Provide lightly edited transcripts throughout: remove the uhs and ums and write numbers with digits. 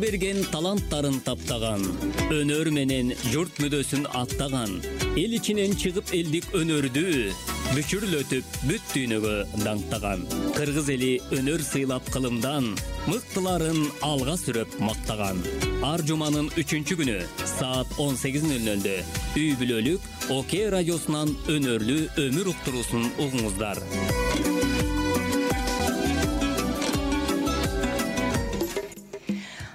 берген таланттарын таптаган, өнөр менен журт мүдөсүн аттаган, эл ичинен чыгып элдик өнөрдү бүчүрлөтүп бүт дүйнөгө даңктаган, кыргыз эли өнөр сыйлап кылымдан мыктыларын алга сүрөп мактаган. Ар жуманын 3-күнү саат 18:00 үй бүлөлүк ОК радиосунан өнөрлүү өмүр уктуруусун угуңуздар.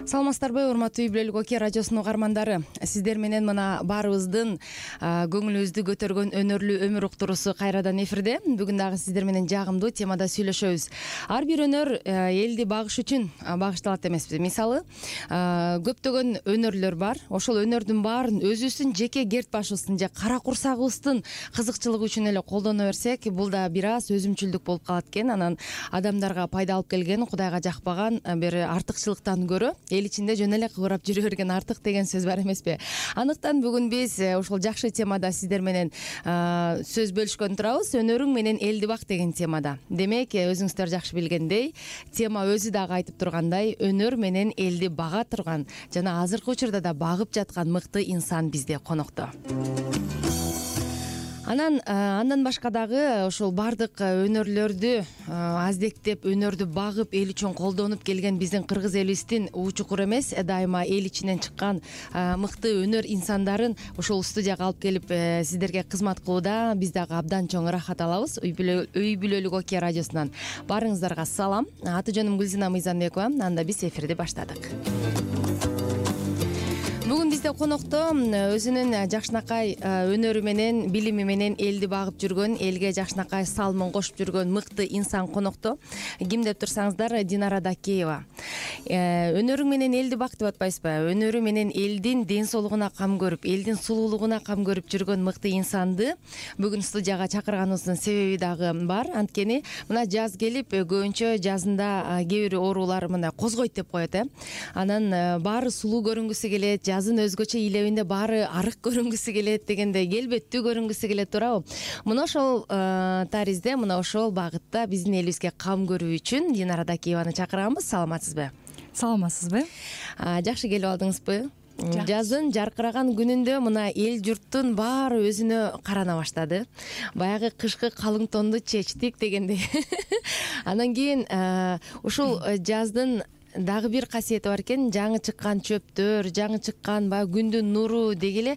Саламатсыздарбы, урматтуу үй бүлөлүк ОК радиосунун угармандары. Сиздер менен мына баарыбыздын көңүлүбүздү көтөргөн өнөрлүү өмүр уктуруусу кайрадан эфирде. Бүгүн дагы сиздер менен жагымдуу темада сүйлөшөбүз. Ар бир өнөр элди багыш үчүн багышталат эмеспи? Мисалы, көптөгөн өнөрлөр бар. Ошол өнөрдүн баарын өзүбүздүн жеке керт башыбыздын же кара курсагыбыздын кызыкчылыгы үчүн эле колдоно берсек, бул да бир аз өзүмчүлдүк болуп калат экен. Анан адамдарга пайда алып келген, Кудайга жакпаган бир артыкчылыктан көрө эл ичинде жөн эле кыбырап жүрө берген артык деген сөз бар эмеспи? Андыктан бүгүн биз ушул жакшы темада сиздер менен сөз бөлүшкөн турабыз. Өнөрүң менен элди бак деген темада. Демек, өзүңүздөр жакшы билгендей, тема өзү дагы айтып тургандай, өнөр менен элди бага турган жана азыркы учурда да багып жаткан мыкты инсан бизде конокто. Андан башка дагы ошол бардык өнөрлөрдү аздектеп, өнөрдү багып, эл үчүн колдонуп келген биздин кыргыз элибиздин чукур эмес, дайыма эл ичинен чыккан мыкты өнөр инсандарын ушул студияга алып келип сиздерге кызмат кылууда биз дагы абдан чоң ырахат алабыз. Үй бүлөлүк ОК радиосунан баарыңыздарга салам. Аты жөнүм Гүлзина Мыйзамбекова. Анда биз эфирди баштадык. Бүгүн бизде конокто өзүнүн жакшынакай өнөрү менен, билими менен элди багып жүргөн, элге жакшынакай салымын кошуп жүргөн мыкты инсан конокто. Ким деп турсаңыздар, Динара Дакеева. Өнөрүң менен элди бак деп атпайсызбы? Өнөрү менен элдин ден соолугуна кам көрүп, элдин сулуулугуна кам көрүп жүргөн мыкты инсанды бүгүн студияга чакырганыбыздын себеби дагы бар. Анткени мына жаз келип, көбүнчө жазында кээ бир оорулар мындай козгойт деп коет. Анан баары сулуу көрүнгүсү келет, жазын өзгөчө илебинде баары арык көрүнгүсү келет дегендей, келбеттүү көрүнгүсү келет, туурабы? Мына ошол таризде, мына ошол багытта биздин элибизге кам көрүү үчүн Динара Дакееваны чакырганбыз. Саламатсызбы? Саламатсызбы? Жакшы келип алдыңызбы? Жаздын жаркыраган күнүндө мына эл журттун баары өзүнө карана баштады. Баягы кышкы калың тонду чечтик дегендей. Анан кийин ушул жаздын дагы бир касиети бар экен. Жаңы чыккан чөптөр, жаңы чыккан баягы күндүн нуру деги эле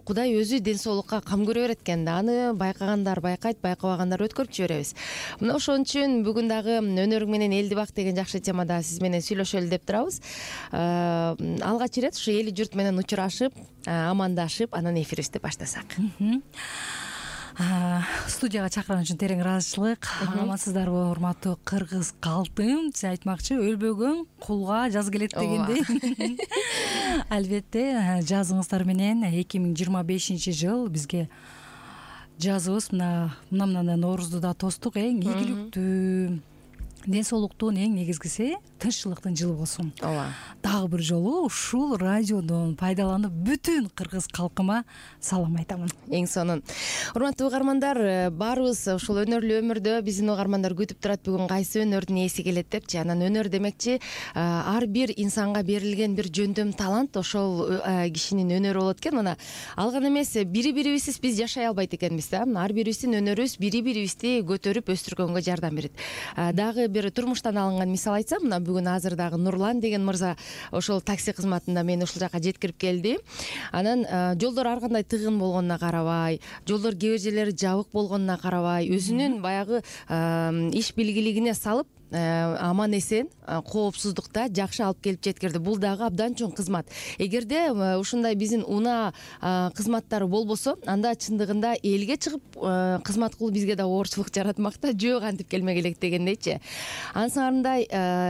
Кудай өзү ден соолукка кам көрө берет экен да. Аны байкагандар байкайт, байкабагандар өткөрүп жиберебиз. Мына ошон үчүн бүгүн дагы өнөрүң менен элди бак деген жакшы темада сиз менен сүйлөшөлү деп турабыз. Алгач ирет ушу эли журт менен учурашып, амандашып, анан эфирибизди баштасак. Студияга чакырган үчүн терең ыраазычылык. Амансыздарбы, урматтуу кыргыз калкым? Сиз айтмакчы, өлбөгөн кулга жаз келет дегендей. Албетте, жазыңыздар менен 2025 жыл бизге жазыбыз мына Ноорузду да тостук. Эң ийгиликтүү, ден соолуктун эң негизгиси тынччылыктын жылы болсун. Ооба. Дагы бир жолу ушул радиодон пайдаланып бүтүн кыргыз калкыма салам айтамын. Эң сонун. Урматтуу угармандар, баарыбыз ушул өнөрлүү өмүрдө биздин угармандар күтүп турат бүгүн кайсы өнөрдүн ээси келет депчи. Анан өнөр демекчи ар бир инсанга берилген бир жөндөм талант, ошол кишинин өнөрү болот экен. Мына алган эмес бири-бирибизсиз биз жашай албайт экенбиз да. Ар бирибиздин өнөрүбүз бири-бирибизди көтөрүп өстүргөнгө жардам берет. Дагы бир турмуштан алынган мисал айтсам, мына бүгүн азыр дагы Нурлан деген мырза ошол такси кызматында мени ушул жака жеткирип келди. Анан жолдор ар кандай тыгын болгонуна карабай, жолдор кээ бир жерлери жабык болгонуна карабай, өзүнүн баягы иш билгилигине салып аман эсен, коопсуздукта жакшы алып келип жеткирди. Бул дагы абдан чоң кызмат. Эгерде ушундай биздин унаа кызматтары болбосо, анда чындыгында элге чыгып кызмат кылуу бизге да оорчулук жаратмак да, жөө кантип келмек элек дегендейчи. Ансырандай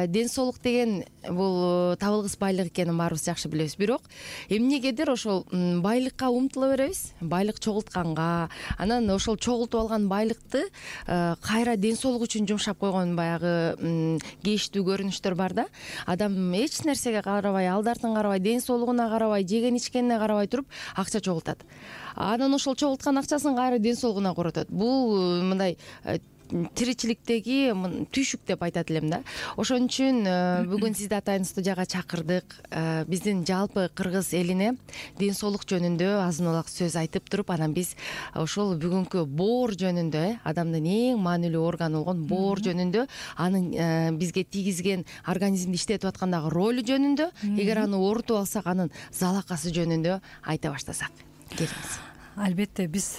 ден соолук деген бул табылгыс байлык экенин баарыбыз жакшы билебиз. Бирок эмнегедир ошол байлыкка умтула беребиз, байлык чогултканга, анан ошол чогултуп алган байлыкты кайра ден соолук үчүн жумшап койгон баягы кейиштүү көрүнүштөр бар да. Адам эч нерсеге карабай, алды артын карабай, ден соолугуна карабай, жеген ичкенине карабай туруп акча чогултат. Анан ошол чогулткан акчасын кайра ден соолугуна коротот. Бул мындай тиричиликтеги түйшүк деп айтат элем да. Ошон үчүн бүгүн сизди атайын студияга чакырдык. Биздин жалпы кыргыз элине ден соолук жөнүндө азын улак сөз айтып туруп, анан биз ошол бүгүнкү боор жөнүндө, адамдын эң маанилүү органы болгон боор жөнүндө, анын бизге тийгизген организмди иштетип аткандагы ролу жөнүндө, эгер аны оорутуп алсак, анын залакасы жөнүндө айта баштасак. Келиңиз. Албетте, биз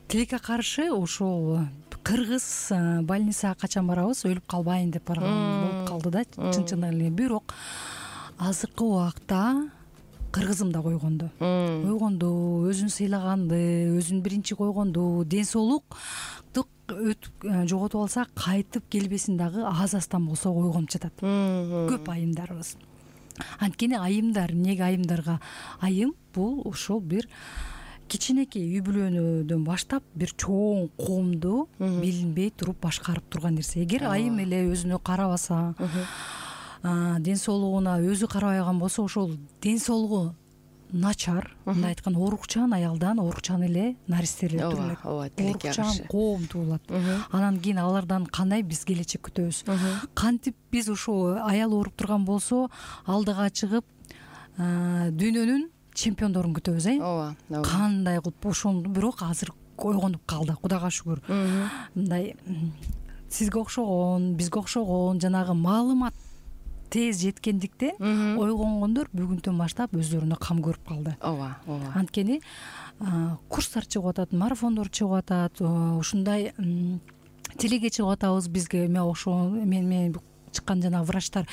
тилекке каршы ушул кыргыз больницага качан барабыз, өлүп калбайын деп барган болуп калды да, чын эле. Бирок азыркы убакта кыргызым да койгонду, өзүн сыйлаганды, өзүн биринчи койгонду, ден соолукту жоготуп алса кайтып келбесин дагы аз-аздан болсо ойгонуп жатат. Көп айымдарыбыз. Анткени айымдар, эмнеге айымдарга айым? Бул ошол бир кичинекей үй бүлөнүдөн баштап бир чоң коомду билинбей туруп башкарып турган нерсе. Эгер айым эле өзүнө карабаса, ден соолугуна өзү карабайган болсо, ошол ден соолугу начар, мындай айтканда, оорукчан аялдан оорукчан эле наристелер туулайт. Ооба, тилекке каршы. Оорукчан коом туулат. Анан кийин алардан кандай биз келечек күтөбүз? Кантип биз ошо аял ооруп турган болсо, алдыга чыгып дүйнөнүн чемпиондорун күтөбүз, Ооба. Кандай кылып ошону, бирок азыр ойгонуп калды, Кудайга шүгүр. Мындай сизге окшогон, бизге окшогон жанагы маалымат тез жеткендиктен ойгонгондор бүгүнтөн баштап өздөрүнө кам көрүп калды. Ооба. Анткени курстар чыгып атат, марафондор чыгып атат, ушундай тилеге чыгып атабыз. Бизге мен чыккан жанагы врачтар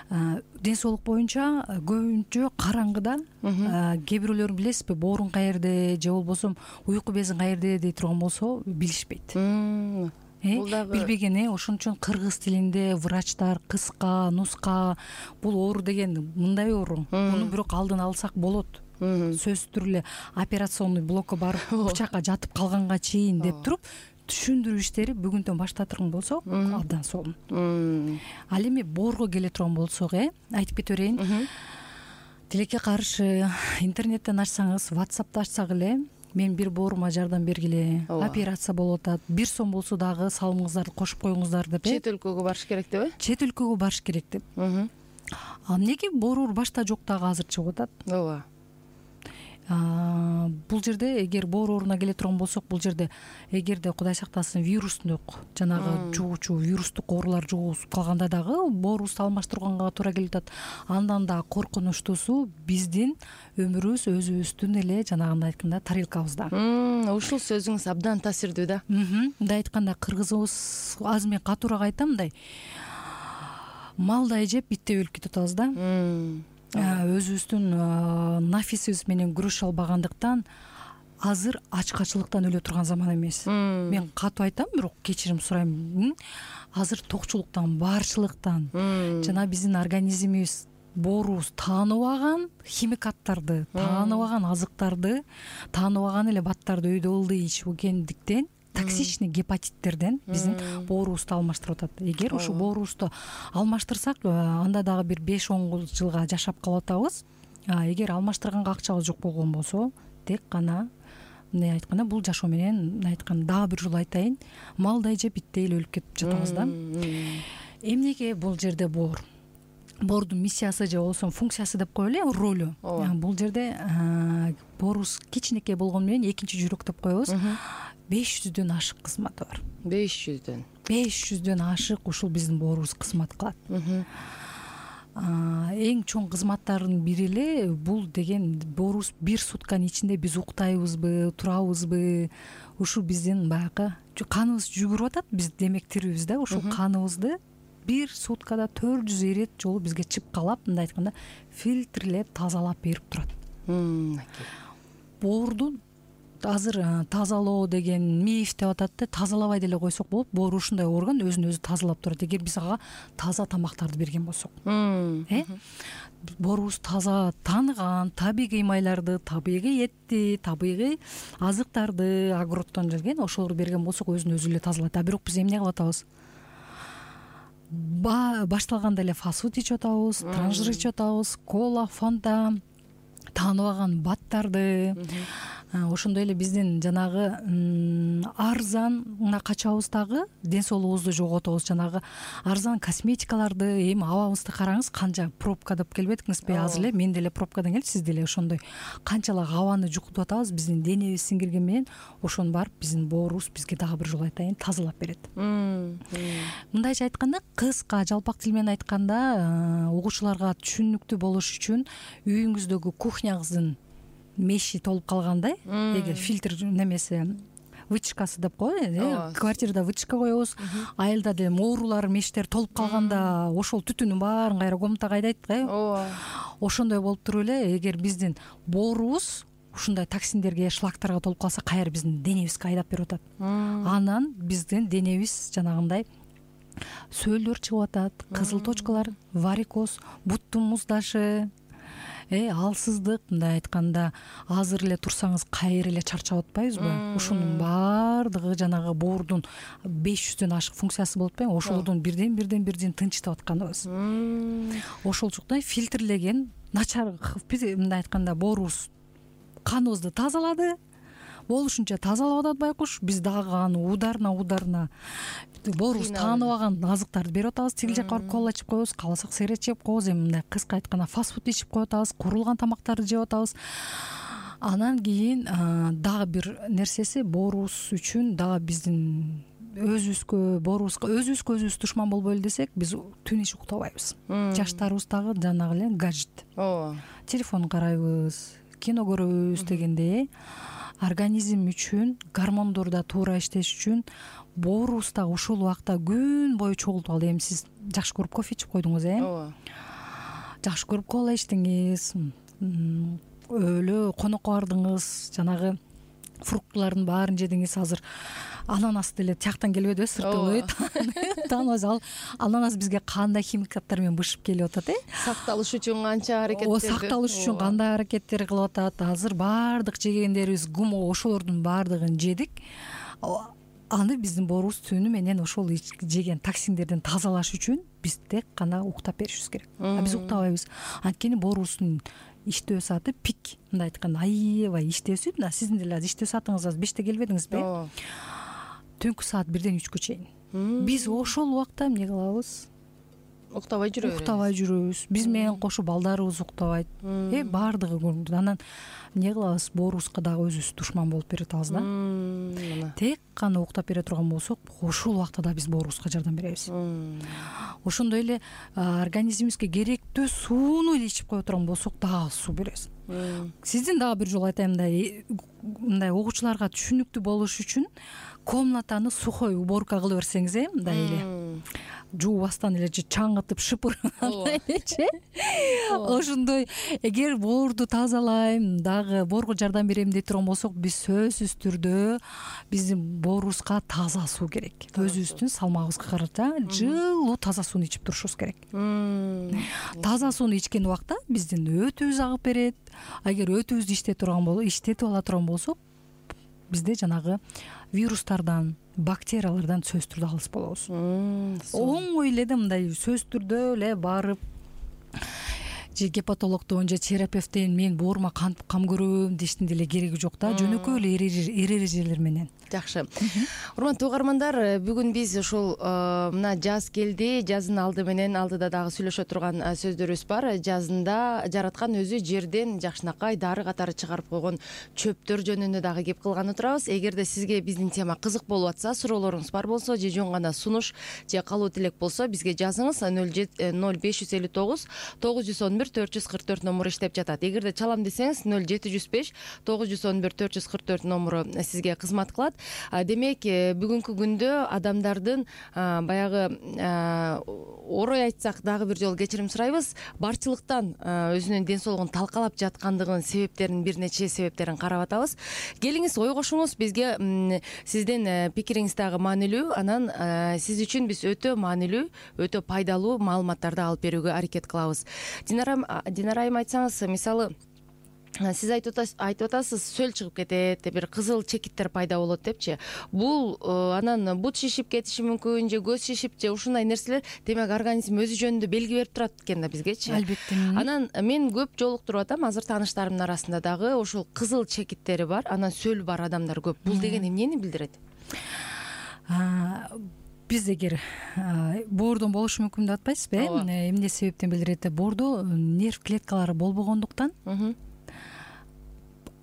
ден соолук боюнча көбүнчө караңгыда, кээ бирөөлөрүн билесизби, боорун каерде же болбосо уйку безин каерде дей турган болсо билишпейт. Билбеген. Ошон үчүн кыргыз тилинде врачтар кыска, нуска, бул оору деген мындай оору, муну бирок алдын алсак болот, сөзсүз түрдүү эле операционный блокко барып бычакка жатып калганга чейин деп туруп түшүндүрүү иштери бүгүнтөн баштатырган болсок абдан сонун. Ал эми боорго келе турган болсок, айтып кете берейин. Тилекке каршы интернеттен ачсаңыз, WhatsApp'ты ачсак эле, мен бир боорума жардам бергиле, операция болуп атат, 1 сом болсо дагы салымыңыздарды кошуп коюңуздар деп. Чет өлкөгө барыш керек деп? Чет өлкөгө барыш керек деп. Эмнеге боруур башта жок дагы азыр чыгып атат? Ооба. Бул жерде эгер боор ооруна келе турган болсок, бул жерде эгерде Кудай сактасын вирустук, жанагы жугуучу вирустук оорулар жугузуп калганда дагы боорубузду алмаштырганга туура келип атат. Андан да коркунучтуусу биздин өмүрүбүз өзүбүздүн эле жанагындай айтканда тарелкабызда. Ушул сөзүңүз абдан таасирдүү да. Мындай айтканда, кыргызыбыз, азыр мен катуураак айтам, мындай малдай жеп битте өлүп кетип атабыз да. Өзүбүздүн нафисибиз менен күрөшө албагандыктан азыр ачкачылыктан өлө турган заман эмес. Мен катуу айтам, бирок кечирим сурайм. Азыр токчулуктан, баарчылыктан, жана биздин организмибиз, боорубуз тааныбаган химикаттарды, тааныбаган азыктарды, тааныбаган эле баттарды өйдө ылдый ичип келгендиктен токсичный гепатиттерден биздин боорубузду алмаштырып атат. Эгер ушул боорубузду алмаштырсак, анда дагы бир 5-10 жылга жашап калып атабыз. Эгер алмаштырганга акчабыз жок болгон болсо, тек гана мындай айтканда, бул жашоо менен айтканда дагы бир жолу айтайын, малдай жеп биттей эле өлүп кетип жатабыз да. Эмнеге бул жерде боор? Боордун миссиясы же болбосо функциясы деп коелу, ролу. Бул жерде боорубуз кичинекей болгону менен экинчи жүрөк деп коебуз. 500дөн ашык кызматы бар. 500дөн ашык ушул биздин боорубуз кызмат кылат. Эң чоң кызматтардын бири эле бул деген, боорубуз 1 сутканын ичинде биз уктайбызбы, турабызбы, ушул биздин баягы каныбыз жүгүрүп атат, биз демектирибиз да, ушул каныбызды 1 суткада 400 ирет жолу бизге чыпкалап, мындай айтканда, фильтрлеп, тазалап берип турат. Боорду азыр тазалоо деген миф деп атат да, тазалабай деле койсок болот. Боор ушундай орган, өзүн өзү тазалап турат, эгер биз ага таза тамактарды берген болсок. Боорубуз таза тааныган табигый майларды, табигый этти, табигый азыктарды, огороддон келген, ошолорду берген болсок өзүн өзү эле тазалайт. Бирок биз эмне кылып атабыз? Башталганда эле фастфуд ичип атабыз, транжир ичип атабыз, кола, фанта, тааныбаган баттарды, ошондой эле биздин жанагы арзан мына качабыз дагы ден соолугубузду жоготобуз. Жанагы арзан косметикаларды эми абабызды караңыз, канча пробкадап келбедиңизби? Азыр эле мен деле пробкадан келип, сиз деле ошондой канчалык абаны жуктуп атабыз. Биздин денебиз сиңирген менен ошону барып биздин боорубуз бизге дагы бир жолу айтайын тазалап берет. Мындайча айтканда, кыска жалпак тил менен айтканда, угуучуларга түшүнүктүү болуш үчүн үйүңүздөгү кухняңыздын меши толуп калгандай, эгер фильтр немеси вытяжкасы деп коет, квартирада вытяжка коебуз, айылда деле моорулар, мештер толуп калганда ошол түтүнүн баарын кайра комнатага айдайт го. Ошондой болуп туруп эле эгер биздин боорубуз ушундай токсиндерге, шлактарга толуп калса, кайра биздин денебизге айдап берип атат. Анан биздин денебиз жанагындай сөөлдөр чыгып атат, кызыл точкалар, варикоз, буттун муздашы, алсыздык, мындай айтканда азыр эле турсаңыз кайра эле чарчап атпайбызбы? Ушунун баардыгы жанагы боордун 500дөн ашык функциясы болуп атпайбы? Ошолордун бирден тынчтап атканыбыз. Ошолчуктай фильтрлеген начар, мындай айтканда боорубуз каныбызды тазалады, болушунча тазалап атат байкуш. Биз дагы аны ударына боорубуз тааныбаган азыктарды берип атабыз. Тигил жакка барып кола ичип коебуз, кааласак сигарет чегип коебуз, эми мындай кыска айтканда фастфуд ичип коюп атабыз, куурулган тамактарды жеп атабыз. Анан кийин дагы бир нерсеси, боорубуз үчүн дагы биздин өзүбүзгө өзүбүз душман болбойлу десек, биз түн ич уктабайбыз. Жаштарыбыз дагы жанагы эле гаджет, телефон карайбыз, кино көрөбүз дегенде организм үчүн гормондор да туура иштеш үчүн боорубуз дагы ушул убакта күн бою чогултуп алды. Эми сиз жакшы көрүп кофе ичип койдуңуз, жакшы көрүп кола ичтиңиз, өлө конокко бардыңыз, жанагы фруктылардын баарын жедиңиз. Азыр ананас деле тияктан келбеди, сыртыбы тааныбайбыз. Ал ананас бизге кандай химикаттар менен бышып келип атат, сакталыш үчүн канча аракеттер, сакталыш үчүн кандай аракеттер кылып атат. Азыр баардык жегендерибиз ГМО, ошолордун баардыгын жедик. Аны биздин боорубуз түнү менен ошол жеген токсиндерден тазалаш үчүн биз тек гана уктап беришибиз керек. Биз уктабайбыз. Анткени боорубуздун иштөө сааты пик, мындай айтканда аябай иштөө сааты. Мына сиздин деле иштөө саатыңыз азыр 5те келбедиңизби? Түнкү саат 1ден 3кө чейин. Биз ошол убакта эмне кылабыз? Уктабай жүрөбүз. Биз менен кошо балдарыбыз уктабайт. Баардыгы көрүнөт. Анан эмне кылабыз? Боорубузга дагы өзүбүз душман болуп берип атабыз да. Тек гана уктап бере турган болсок, ошол убакта да биз боорубузга жардам беребиз. Ошондой эле организмибизге керектүү сууну эле ичип кое турган болсок, дагы суу беребиз. Сиздин дагы бир жолу айтайын, мындай угуучуларга түшүнүктүү болуш үчүн комнатаны сухой уборка кылып берсеңиз, мындай эле жуубастан эле же чаңгытып шыпыргандай элечи. Ошондой эгер боорду тазалайм, дагы боорго жардам берем дей турган болсок, биз сөзсүз түрдө биздин боорубузга таза суу керек. Өзүбүздүн салмагыбызга карата жылуу таза сууну ичип турушубуз керек. Таза сууну ичкен убакта биздин өтүбүз агып берет. Эгер өтүбүздү иштетип ала турган болсок, бизде жанагы вирустардан, бактериялардан сөзсүз түрдө алыс болобуз. Оңой эле мындай сөзсүз түрдө эле барып же гепатологдон же терапевттен мен боорума кантип кам көрөм дештин деле кереги жок да. Жөнөкөй эле эрежелер менен. Жакшы. Урматтуу угармандар, бүгүн биз ушул мына жаз келди. Жаздын алды менен алдыда дагы сүйлөшө турган сөздөрүбүз бар. Жазында жараткан өзү жерден жакшынакай дары катары чыгарып койгон чөптөр жөнүндө дагы кеп кылган турабыз. Эгерде сизге биздин тема кызык болуп атса, суроолоруңуз бар болсо же жөн гана сунуш же калуу тилек болсо, бизге жазыңыз. 0559 911 444 номуру иштеп жатат. Эгерде чалам десеңиз 0705 911 444 номуру сизге кызмат кылат. Демек, бүгүнкү күндө адамдардын баягы орой айтсак дагы бир жолу кечирим сурайбыз, барчылыктан өзүнүн ден соолугун талкалап жаткандыгынын себептерин, бир нече себептерин карап атабыз. Келиңиз, ой кошуңуз, бизге сиздин пикириңиз дагы маанилүү. Анан сиз үчүн биз өтө маанилүү, өтө пайдалуу маалыматтарды алып берүүгө аракет кылабыз. Динара айым, айтсаңыз, мисалы сиз айтып атасыз сөл чыгып кетет, бир кызыл чекиттер пайда болот депчи. Бул анан бут шишип кетиши мүмкүн, же көз шишип, же ушундай нерселер демек организм өзү жөнүндө белги берип турат экен да бизгечи. Албетте. Анан мен көп жолуктуруп атам, азыр тааныштарымдын арасында дагы ошол кызыл чекиттери бар, анан сөл бар адамдар көп. Бул деген эмнени билдирет? Биз эгер боордон болушу мүмкүн деп атпайсызбы? Эмне себептен билдирет? Боордо нерв клеткалары болбогондуктан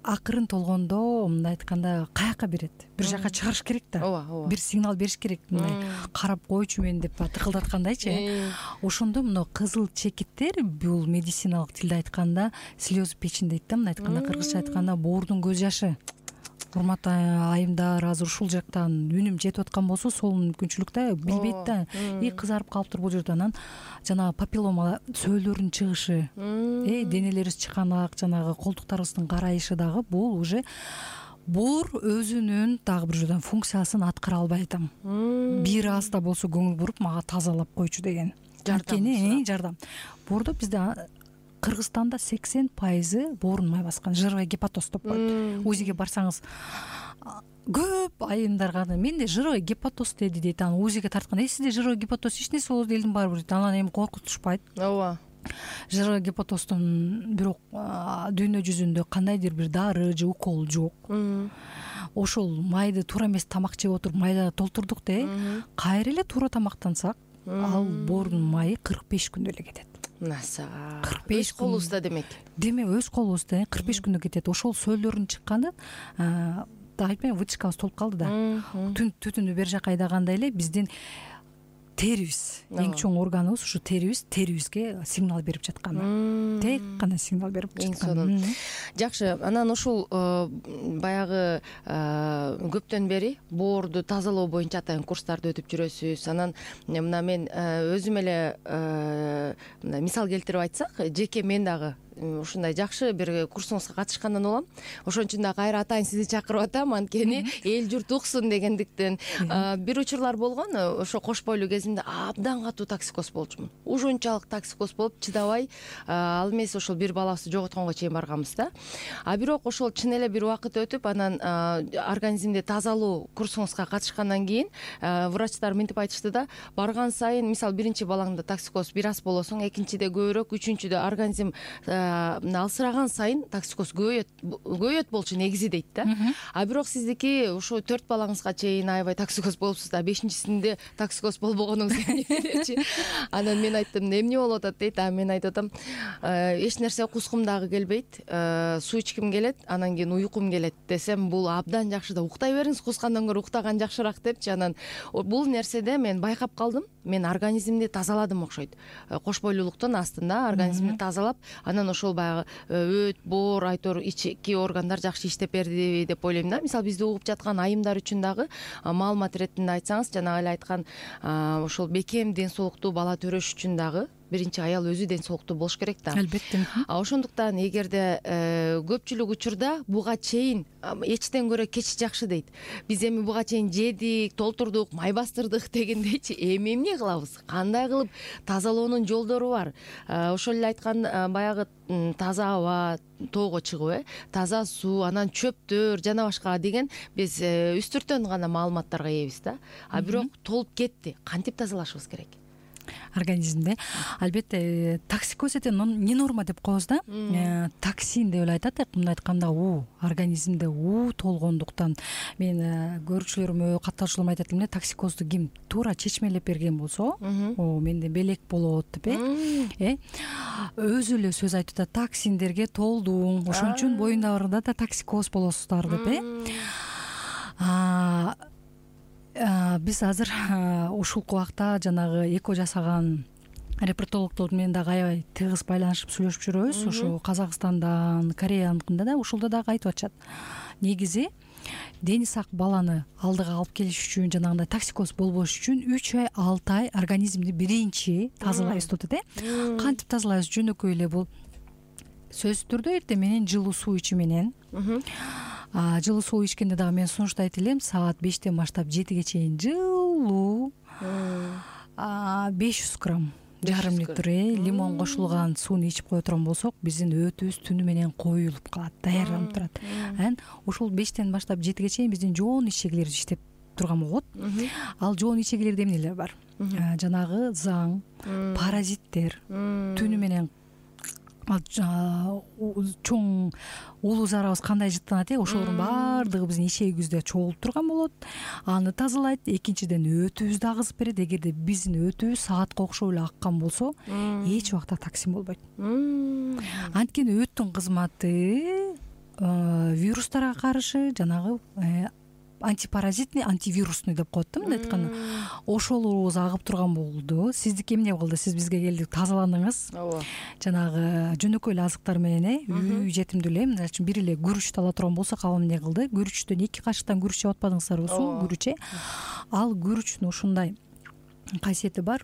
акырын толгондо, мындай айтканда, каяка берет, бир жака чыгарыш керек да. Ооба. Бир сигнал бериш керек, мындай карап койчу мен деп тыкылдаткандайчы. Ошондо мына кызыл чекиттер, бул медициналык тилде айтканда слёзы печень дейт да, мындай айтканда, кыргызча айтканда боордун көз жашы. Урматтуу айымдар, азыр ушул жактан үнүм жетип аткан болсо, сол мүмкүнчүлүк да, билбейт да. Кызарып калыптыр бул жерде. Анан жанагы папиллома сөөлөрүнүн чыгышы, денелерибиз чыканак, жанагы колтуктарыбыздын карайышы дагы бул уже боор өзүнүн дагы бир жолдон функциясын аткара албай атам. Бир аз да болсо көңүл буруп мага тазалап койчу деген. Жардам. Боордо бизде Кыргызстанда 80% боорун май баскан, жировой гепатоз деп коет. УЗИге барсаңыз көп айымдарга менде жировой гепатоз деди дейт. Анан УЗИге тартканда, сизде жировой гепатоз эч нерсе болот элдин баары дейт. Анан эми коркутушпайт. Ооба. Жировой гепатоздун бирок дүйнө жүзүндө кандайдыр бир дары же укол жок. Ошол майды туура эмес тамак жеп отуруп майда толтурдук де, кайра эле туура тамактансак, ал боордун майы 45 күндө эле кетет. Насага 45 колубузда демек. Демек өз колубузда 45 күндө кетет. Ошол сөөлөрүн чыкканда айтпайм, вытяжкабыз толуп калды да. Түтүндү бер жака айдаганда эле биздин терибиз, эң чоң органыбыз ушу терибизге сигнал берип жаткан. Тек гана сигнал берип жаткан. Жакшы, анан ушул баягы көптөн бери боорду тазалоо боюнча атайын курстарды өтүп жүрөсүз. Анан мына мен өзүм эле мисал келтирип айтсак, жеке мен дагы ушундай жакшы бир курсуңузга катышкандан улам. Ошон үчүн да кайра атайын сизди чакырып атам, анткени эл журт уксун дегендиктен. Бир учурлар болгон, ошо кош бойлуу кезимде абдан катуу токсикоз болчумун. Ушунчалык токсикоз болуп чыдабай, ал эмес ошол бир балабызды жоготконго чейин барганбыз да. Бирок ошол чын эле бир убакыт өтүп, анан организмди тазалоо курсуңузга катышкандан кийин врачтар мынтип айтышты да, барган сайын, мисалы биринчи балаңда токсикоз бир аз болосуң, экинчиде көбүрөөк, үчүнчүдө организм алсыраган сайын токсикоз көбөйөт болчу негизи дейт да. Бирок сиздики ошо 4 балаңызга чейин аябай токсикоз болупсуз да, 5-синде токсикоз болбогонуңуз эмнечи? Анан мен айттым, эмне болуп атат дейт. Мен айтып атам, эч нерсе кускум дагы келбейт, суу ичким келет, анан кийин уйкум келет десем, бул абдан жакшы да, уктай бериңиз, кускандан көрө уктаган жакшыраак депчи. Анан бул нерседе мен байкап калдым, мен организмди тазаладым окшойт. Кош бойлуулуктун астында организмди тазалап, анан ошол баягы өт, боор, айтор ички органдар жакшы иштеп берди деп ойлойм да. Мисалы бизди угуп жаткан айымдар үчүн дагы маалымат иретинде айтсаңыз, жанагы эле айткан ошол бекем ден соолуктуу бала төрөш үчүн дагы биринчи аял өзү ден соолуктуу болуш керек да. Албетте. Ошондуктан эгерде көпчүлүк учурда буга чейин эчтен көрө кеч жакшы дейт. Биз эми буга чейин жедик, толтурдук, май бастырдык дегендейчи, эми эмне кылабыз? Кандай кылып тазалоонун жолдору бар? Ошол эле айткан баягы таза аба, тоого чыгып, таза суу, анан чөптөр жана башка деген биз үстүртөн гана маалыматтарга ээбиз да. Бирок толуп кетти. Кантип тазалашыбыз керек? Организмде албетте токсикоз эте не норма деп коебуз да. Токсин деп эле айтат, мындай айтканда организмде толгондуктан. Мен көрүүчүлөрүмө, каттаушуларыма айтат элем, токсикозду ким туура чечмелеп берген болсо, менде белек болот деп өзү эле сөз айтып атат, токсиндерге толдуң, ошон үчүн боюңдарда да токсикоз болосуздар деп. Биз азыр ушул убакта жанагы эко жасаган репродуктологдор менен дагы аябай тыгыз байланышып сүйлөшүп жүрөбүз. Ошо Казакстандан, Кореяныкында да ушулда дагы айтып атышат. Негизи дени сак баланы алдыга алып келиш үчүн, жанагындай токсикоз болбош үчүн 3 ай, 6 ай организмди биринчи тазалайбыз деп атат. Кантип тазалайбыз? Жөнөкөй эле бул сөзсүз түрдө эртең менен жылуу суу ичүү менен. Жылуу суу ичкенде дагы мен сунуштайт элем, саат 5тен баштап 7ге чейин жылуу 500 грамм жарым литр лимон кошулган сууну ичип кое турган болсок биздин өтүбүз түнү менен коюлуп калат, даярданып турат. Анан ушул 5тен баштап 7ге чейин биздин жоон ичегилер иштеп турган болот. Ал жоон ичегилерде эмнелер бар? Жанагы заң, паразиттер, түнү менен чоң улуу зарабыз кандай жыттанат ошолордун баардыгы биздин ичегибизде чогулуп турган болот. Аны тазалайт. Экинчиден өтүбүздү агызып берет. Эгерде биздин өтүбүз саатка окшоп эле аккан болсо, эч убакта токсин болбойт. Анткени өттүн кызматы вирустарга каршы жанагы антипаразитный, антивирусный деп коет да мындай айтканда. Ошолорубуз агып турган болду. Сиздики эмне болду? Сиз бизге келдиңиз, тазаландыңыз. Ооба. Жанагы жөнөкөй эле азыктар менен үй жетимдүү эле, мисалы үчүн бир эле күрүчтү ала турган болсок, ал эмне кылды? Күрүчтөн 2 кашыктан күрүч жеп атпадыңыздарбы? Суу күрүч. Ал күрүчтүн ушундай касиети бар.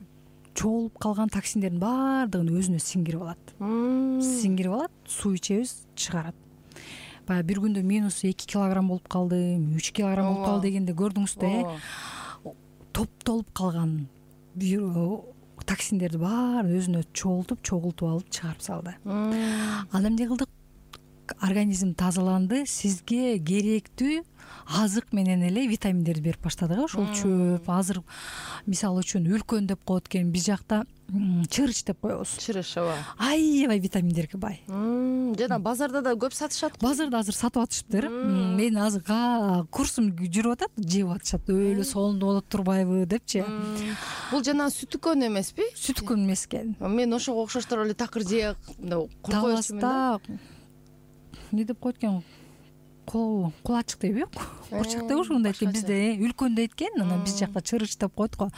Чогулуп калган токсиндердин баардыгын өзүнө сиңирип алат. Сиңирип алат, суу ичебиз, чыгарат. Баягы бир күндө минус 2 килограмм болуп калды, 3 килограмм болуп калды дегенде көрдүңүз да, топтолуп калган токсиндерди баарын өзүнө чогултуп алып чыгарып салды. Ал эмне кылдык? Организм тазаланды, сизге керектүү азык менен эле витаминдерди берип баштадык. Ошол чөп, азыр мисалы үчүн үлкөн деп коет экен, биз жакта чырыч деп коебуз. Чырыч, ооба. Аябай витаминдерге бай. Жана базарда да көп сатышат. Базарда азыр сатып атышыптыр. Мен азыр курсум жүрүп атат, жеп атышат. Өлө сонун болот турбайбы депчи. Бул жана сүтүкөн эмеспи? Сүтүкөн эмес экен. Мен ошого окшоштор эле такыр жеп куркоючумун да. Не деп коет экен? Кулачык дейби? Курчак деп ошондой экен бизде. Үлкөн дейт экен, анан биз жакта чырыч деп коет го.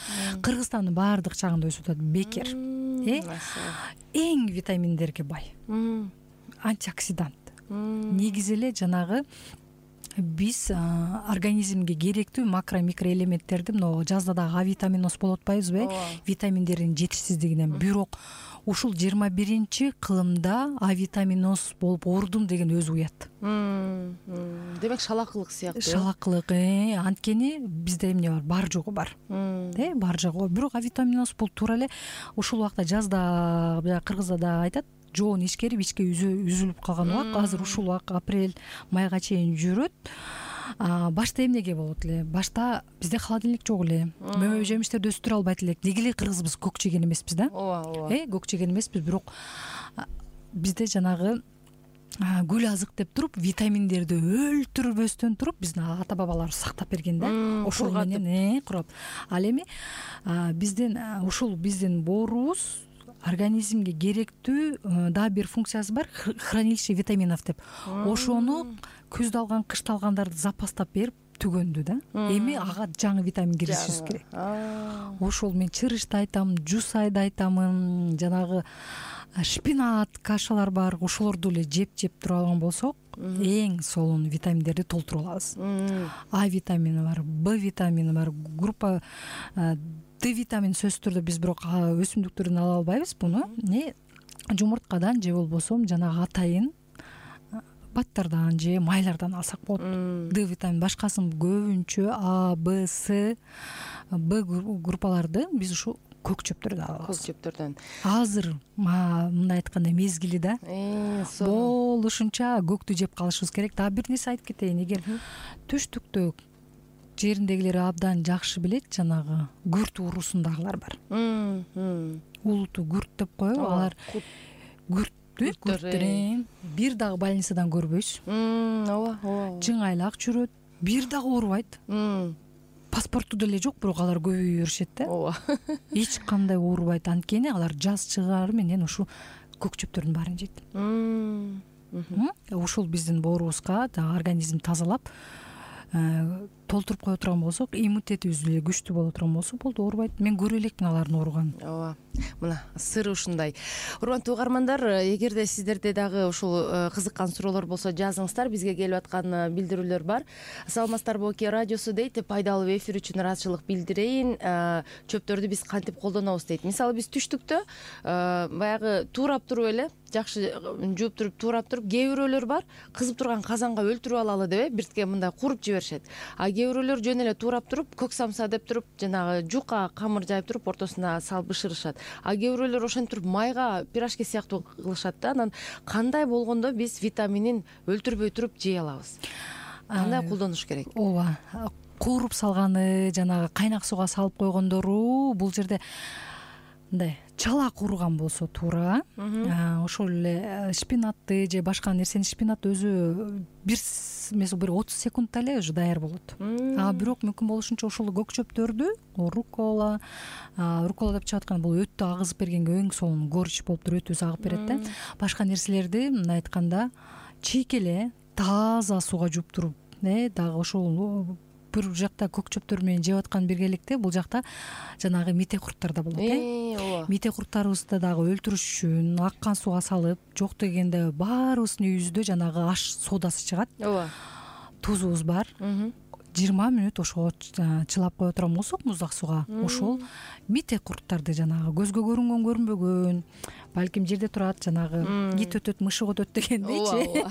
Кыргызстандын баардык жагында өсүп атат. Бекер. Эң витаминдерге бай. Антиоксидант. Негизи эле жанагы биз организмге керектүү макро микроэлементтерди, мына жазда дагы А витаминоз болуп атпайбызбы? Витаминдердин жетишсиздигинен. Бирок ушул 21-кылымда А витаминоз болуп оорудум деген өзү уят. Демек шалакылык сыяктуу. Шалакылык, анткени бизде эмне бар? Бар жогу бар. Бар жогу. Бирок А витаминоз бул туура эле ушул убакта жазда, кыргызда да айтат, жоон ичкерип ичке үзүлүп калган убак. Азыр ушул убак апрель, майга чейин жүрөт. Башта эмнеге болот эле? Башта бизде холодильник жок эле. Мөмө жемиштерди өстүрө албайт элек. Неге эле кыргызбыз көк жеген эмеспиз да? Ооба. Көк жеген эмеспиз, бирок бизде жанагы гүл азык деп туруп, витаминдерди өлтүрбөстөн туруп биздин ата бабаларыбыз сактап берген да. Ошол менен курап. Ал эми биздин боорубуз организмге керектүү дагы бир функциясы бар, хранилище витаминов деп. Ошону күздө алган, кышта алгандарды запастап берип түгөндү да. Эми ага жаңы витамин киргизишибиз керек. Ошол мен чырычты айтам, жусайды айтамын, жанагы шпинат, кашалар бар, ошолорду эле жеп тура алган болсок, эң сонун витаминдерди толтуруп алабыз. А витамини бар, Б витамини бар, группа Д витамин сөзсүз түрдө биз бирок өсүмдүктөрдөн ала албайбыз буну. Жумурткадан же болбосо жанагы атайын баттардан же майлардан алсак болот. Д витамин башкасын көбүнчө А, Б, С, Б группаларды биз ушу көк чөптөрдөн алабыз. Көк чөптөрдөн. Азыр мындай айтканда мезгили да. Болушунча көктү жеп калышыбыз керек. Дагы бир нерсе айтып кетейин. Эгер түштүктө жериндегилер абдан жакшы билет, жанагы күрт уурусундагылар бар. Улуту күрт деп коебу, алар күрттөр бир дагы больницадан көрбөйсүз. Ооба. Жыңайлак жүрөт, бир дагы оорубайт. Паспорту деле жок, бирок алар көбөйө беришет да. Ооба. Эч кандай оорубайт, анткени алар жаз чыгары менен ушу көк чөптөрдүн баарын жейт. Ушул биздин боорубузга организм тазалап толтуруп кое турган болсок, иммунитетибиз эле күчтүү боло турган болсо болду, оорубайт. Мен көрө элекмин алардын ооруганын. Ооба. Мына сыры ушундай. Урматтуу угармандар, эгерде сиздерде дагы ушул кызыккан суроолор болсо жазыңыздар, бизге келип аткан билдирүүлөр бар. Саламатсыздарбы Оке радиосу дейт, пайдалуу эфир үчүн ыраазычылык билдирейин. Чөптөрдү биз кантип колдонобуз дейт. Мисалы биз түштүктө баягы туурап туруп эле жакшы жууп туруп, туурап туруп, кээ бирөөлөр бар, кызып турган казанга өлтүрүп алалы деп биртке мындай куруп жиберишет. А кээ кээ бирөөлөр жөн эле туурап туруп көк самса деп туруп жанагы жука камыр жайып туруп ортосуна салып бышырышат. А кээ бирөөлөр ошентип туруп майга пирожки сыяктуу кылышат да. Анан кандай болгондо биз витаминин өлтүрбөй туруп жей алабыз? Кандай колдонуш керек? Ооба, кууруп салганы, жанагы кайнак сууга салып койгондору бул жерде мындай чала кууруган болсо туура, ошол эле шпинатты же башка нерсени, шпинат өзү бир 30 секундда эле уже даяр болот. Бирок мүмкүн болушунча ошол көк чөптөрдү, руккола деп чыгып аткан бул өтү агызып бергенге эң сонун горч болуп туруп өтүбүз агып берет да. Башка нерселерди мындай айтканда чийкеле таза сууга жууп туруп, дагы ошол бир жакта көк чөптөр менен жеп аткан биргеликте бул жакта жанагы мите курттар да болот. Ооба. Мите курттарыбызды дагы өлтүрүш үчүн аккан сууга салып, жок дегенде баарыбыздын үйүбүздө жанагы аш содасы чыгат. Ооба. Тузубуз бар. 20 мүнөт ошого чылап кое турган болсок муздак сууга, ошол мите курттарды жанагы көзгө көрүнгөн көрүнбөгөн, балким жерде турат, жанагы ит өтөт, мышык өтөт дегендейчи.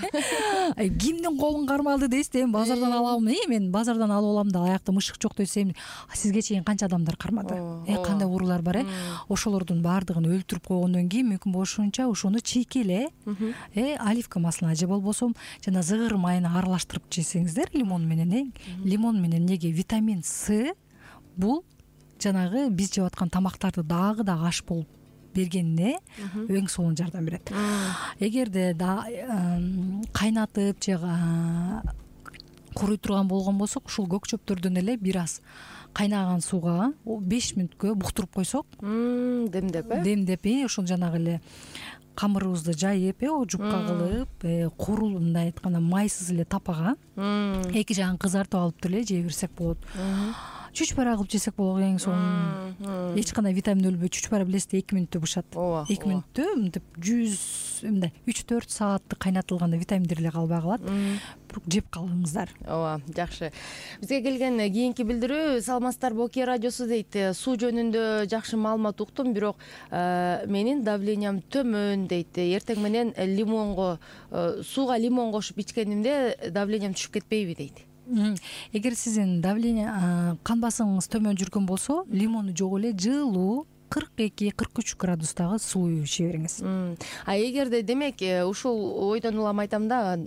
Кимдин колун кармалды дейсиз, эми базардан алам, мен базардан алып алам да аякта мышык жок десем, сизге чейин канча адамдар кармады, кандай уруулар бар, ошолордун баардыгын өлтүрүп койгондон кийин мүмкүн болушунча ошону чийкеле, оливка маслына же болбосо жана зыгыр майын аралаштырып жесеңиздер лимон менен, лимон менен неге витамин С бул жанагы биз жеп аткан тамактарды дагы да аш болуп бергенине эң сонун жардам берет. Эгерде кайнатып же куруй турган болгон болсок, ушул көк чөптөрдөн эле бир аз кайнаган сууга 5 мүнөткө буктуруп койсок, демдеп, ошол жанагы эле камырыбызды жайып, жупка кылып, курул мындай айтканда майсыз эле тапага эки жагын кызартып алып эле жей берсек болот. Чүчпара кылып жесек болот, эң сонун. Эч кандай витамин өлбөй, чүчпара билесиз, 2 мүнөттө бышат. 2 мүнөттө мынтип 3-4 саатты кайнатылганда витаминдер эле калбай калат. Жеп калыңыздар. Ооба, жакшы. Бизге келген кийинки билдирүү: саламатсыздар, Боке радиосу дейт. Суу жөнүндө жакшы маалымат уктум, бирок менин давлениям төмөн дейт. Эртең менен сууга лимон кошуп ичкенимде давлениям түшүп кетпейби дейт. Эгер сиздин давление, кан басымыңыз төмөн жүргөн болсо, лимону жок эле жылуу 42-43 градустагы суу иче бериңиз. А эгерде демек ушул ойдон улам айтам да,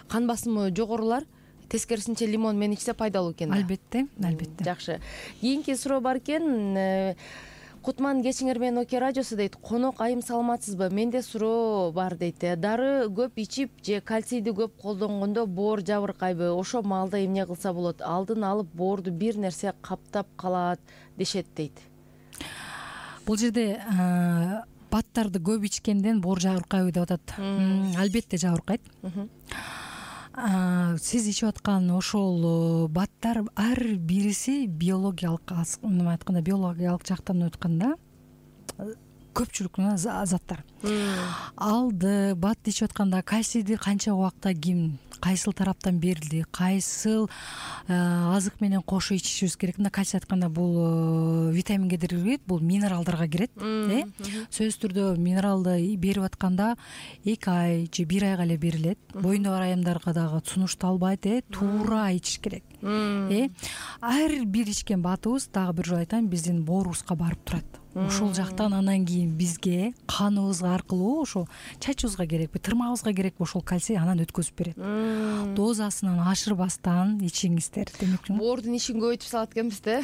кан басымы жогорулар тескерисинче лимон менен ичсе пайдалуу экен да. Албетте. Жакшы. Кийинки суроо бар экен. Кутман кечиңер менен Оке радиосу дейт. Конок айым саламатсызбы? Менде суроо бар дейт. Дары көп ичип же кальцийди көп колдонгондо боор жабыркайбы? Ошо маалда эмне кылса болот? Алдын алып боорду бир нерсе каптап калат дешет дейт. Бул жерде баттарды көп ичкенден боор жабыркайбы деп атат. Албетте жабыркайт. Сиз ичип аткан ошол баттар ар бириси биологиялык жактан өткөндө көпчүлүк заттар. Алды бат ичип атканда кальцийди канча убакта ким кайсыл тараптан берилди, кайсыл азык менен кошо ичишибиз керек. Мына кальций айтканда бул витаминге кирет, бул минералдарга кирет. Сөзсүз түрдө минералды берип атканда 2 ай же 1 айга эле берилет. Боюнда бар айымдарга дагы сунушталбайт, туура ичиш керек. Ар бир ичкен батыбыз, дагы бир жолу айтайын, биздин боорубузга барып турат. Ошол жактан анан кийин бизге каныбыз аркылуу ошо чачыбызга керекпи, тырмагыбызга керекпи ошол кальций анан өткөзүп берет. Дозасынан ашырбастан ичиңиздер. Демек боордун ишин көбөйтүп салат экенбиз да.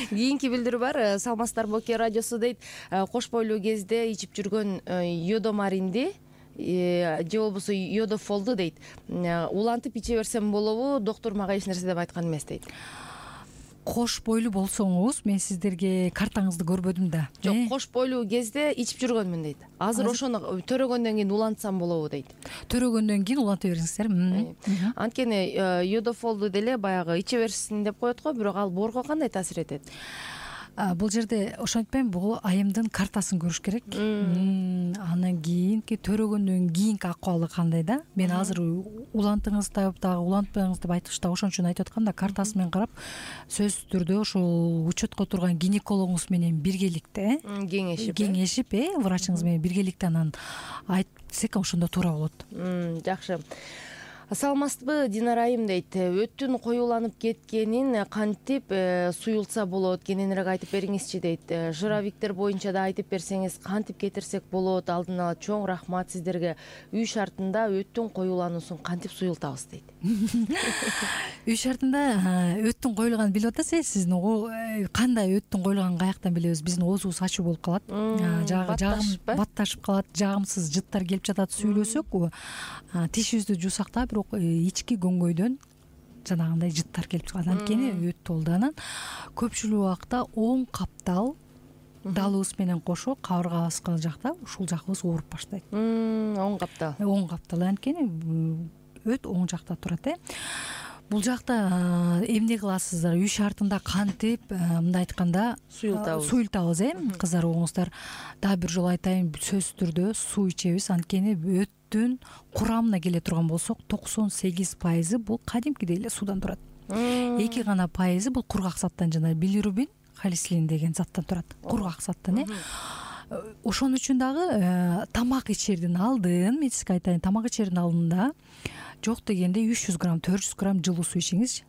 Кийинки билдирүү бар. Саламатсыздар, Боке радиосу дейт. Кош бойлуу кезде ичип жүргөн йодомаринди же болбосо йодофолду дейт. Улантып иче берсем болобу? Доктор мага эч нерсе деп айткан эмес дейт. Кош бойлуу болсоңуз, мен сиздерге картаңызды көрбөдүм да. Жок, кош бойлуу кезде ичип жүргөнмүн дейт. Азыр ошону төрөгөндөн кийин улантсам болобу дейт. Төрөгөндөн кийин уланта бериңиздер. Анткени йодофолду деле баягы иче берсин деп коет го, бирок ал боорго кандай таасир этет? Бул жерде ошентпейм, бул айымдын картасын көрүш керек. Анан кийинки төрөгөндөн кийинки акыбалы кандай да? Мен азыр улантыңыз дагы улантпаңыз деп айтыш да, ошон үчүн айтып аткам да, картасы менен карап, сөзсүз түрдө ошол учетко турган гинекологуңуз менен биргеликте кеңешип, врачыңыз менен биргеликте анан айтсек ошондо туура болот. Жакшы. Саламатсызбы, Динара айым дейт. Өттүн коюланып кеткенин кантип суюлса болот, кененирээк айтып бериңизчи дейт. Жыравиктер боюнча да айтып берсеңиз, кантип кетирсек болот? Алдын ала чоң рахмат сиздерге. Үй шартында өттүн коюлануусун кантип суюлтабыз дейт. Үй шартында өттүн коюлганын билип атасыз, сиздин кандай өттүн коюлганын каяктан билебиз? Биздин оозубуз ачуу болуп калат, батташып калат, жагымсыз жыттар келип жатат. Сүйлөсөк тишибизди жуусак да, бирок ички көңгөйдөн жанагындай жыттар келип чыгат. Анткени өт толданан көпчүлүк убакта оң каптал далыбыз менен кошо кабыргабызга жакта ушул жагыбыз ооруп баштайт. Оң каптал анткени өт оң жакта турат. Бул жакта эмне кыласыздар? Үй шартында кантип, мындай айтканда, суюлтабыз. Кыздар угуңуздар, дагы бир жолу айтайын, сөзсүз түрдө суу ичебиз. Анткени өттүн курамына келе турган болсок, 98% бул кадимкидей эле суудан турат. 2 гана пайызы бул кургак заттан, жана билирубин, холестерин деген заттан турат. Кургак заттан. Ошон үчүн дагы тамак ичердин алдын, мен сизге айтайын, тамак ичердин алдында жок дегенде 300 грамм, 400 грамм жылуу суу ичиңиз.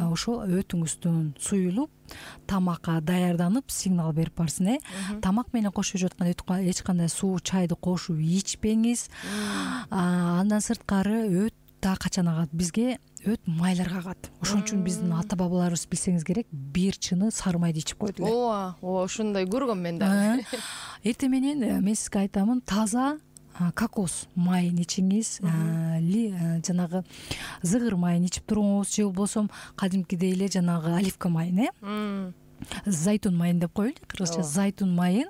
Ошол өтүңүздөн суюлуп, тамакка даярданып, сигнал берип барсын. Тамак менен кошо жаткан эч кандай суу, чайды кошуп ичпеңиз. Андан сырткары өт да качан агат? Бизге өт майларга агат. Ошон үчүн биздин ата бабаларыбыз, билсеңиз керек, бир чыны сары майды ичип койду эле. Ошондой көргөм мен да. Эртең менен мен сизге айтамын, таза кокос майын ичиңиз, жанагы зыгыр майын ичип туруңуз, же болбосо кадимкидей эле жанагы оливка майын, зайтун майын деп коелу, кыргызча зайтун майын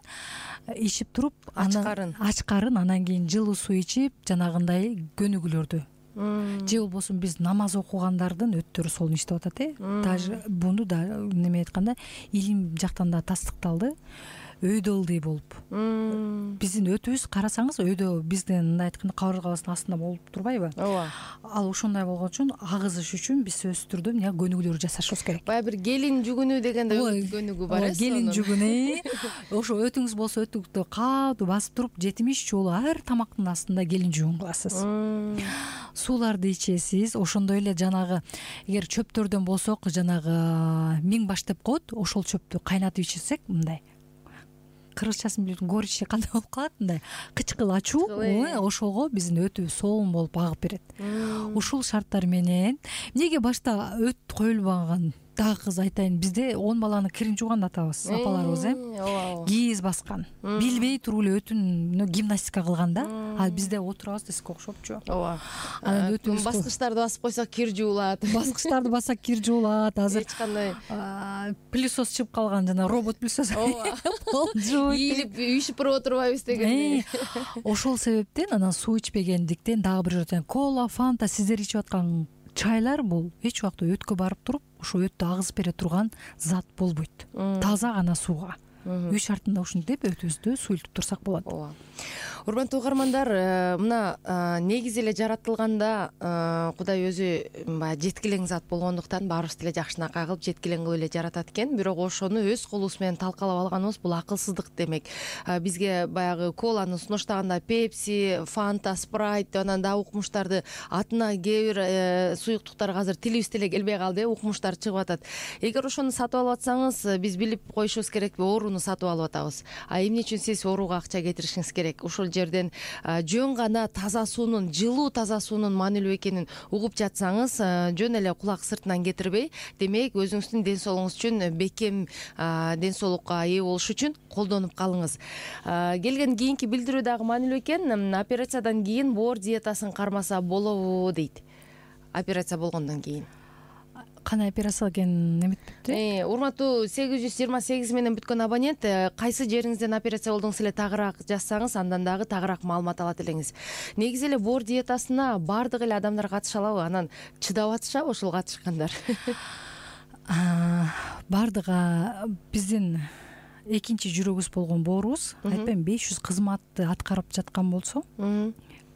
ичип туруп, ачкарын, анан кийин жылуу суу ичип, жанагындай көнүгүүлөрдү. Же болбосо биз намаз окугандардын өттөрү солон иштеп атат. Даже буну да неме айтканда, илим жактан да тастыкталды. Өйдө ылдый болуп. Биздин өтүбүз карасаңыз, өйдө биздин мындай айтканда кабыргабыздын астында болуп турбайбы? Ооба. Ал ошондой болгон үчүн агызыш үчүн биз сөзсүз түрдө эмне көнүгүүлөр жасашыбыз керек. Баягы бир келин жүгүнү дегенде көнүгүү бар. Келин жүгүнү. Ошо өтүңүз болсо, өтүктү катуу басып туруп 70 жолу ар тамактын астында келин жүгүн кыласыз. Сууларды ичесиз. Ошондой эле жанагы, эгер чөптөрдөн болсок, жанагы миң баш деп коет, ошол чөптү кайнатып ичсек, мындай кыргызчасын билбейм, горичи кандай болуп калат, мындай кычкыл ачуу, ошого биздин өтүбүз соолун болуп агып берет. Ушул шарттар менен эмнеге башта өт коюлбаган? Дагы кыз айтайын, бизде 10 баланы кирин жууган атабыз, апаларыбыз, кийиз баскан. Билбей туруп эле өтүн гимнастика кылган да. Ал бизде отурабыз десек окшопчу. Ооба. Анан өтүн баскычтарды басып койсок кир жуулат. Баскычтарды бассак кир жуулат. Азыр эч кандай пылесос чыгып калган, жана робот пылесос. Ооба. Ийилип, үйшүп отурбайбыз деген. Ошол себептен анан суу ичпегендиктен дагы бир жолу кола, фанта, сиздер ичип аткан чайлар бул эч убакта өткө барып туруп, ошо өттү агызып бере турган зат болбойт. Таза гана сууга. Үй шартында ушинтип өтүбүздү суюлтуп турсак болот. Ооба. Урматтуу угармандар, мына негизи эле жаратылганда Кудай өзү баягы жеткилең зат болгондуктан баарыбызды эле жакшынакай кылып жеткилең кылып эле жаратат экен. Бирок ошону өз колубуз менен талкалап алганыбыз бул акылсыздык демек. Бизге баягы коланы сунуштаганда Pepsi, Fanta, Sprite, анан дагы укмуштарды атына кээ бир суюктуктарга азыр тилибиз деле келбей калды, укмуштар чыгып атат. Эгер ошону сатып алып атсаңыз, биз билип коюшубуз керек, ооруну сатып алып атабыз. Эмне үчүн сиз ооруга акча кетиришиңиз керек? Ошол жерден жөн гана таза суунун, жылуу таза суунун маанилүү экенин угуп жатсаңыз, жөн эле кулак сыртынан кетирбей, демек өзүңүздүн ден соолугуңуз үчүн, бекем ден соолукка ээ болуш үчүн колдонуп калыңыз. Келген кийинки билдирүү дагы маанилүү экен. Операциядан кийин боор диетасын кармаса болобу дейт. Операция болгондон кийин. Кандай операция экен эметпепти? Урматтуу 828 менен бүткөн абонент, кайсы жериңизден операция болдуңуз эле тагыраак жазсаңыз, андан дагы тагыраак маалымат алат элеңиз. Негизи эле боор диетасына баардык эле адамдар катыша алабы? Анан чыдап атышабы ошол катышкандар? Баардыгы биздин экинчи жүрөгүбүз болгон боорубуз, айтпайм, 500 кызматты аткарып жаткан болсо,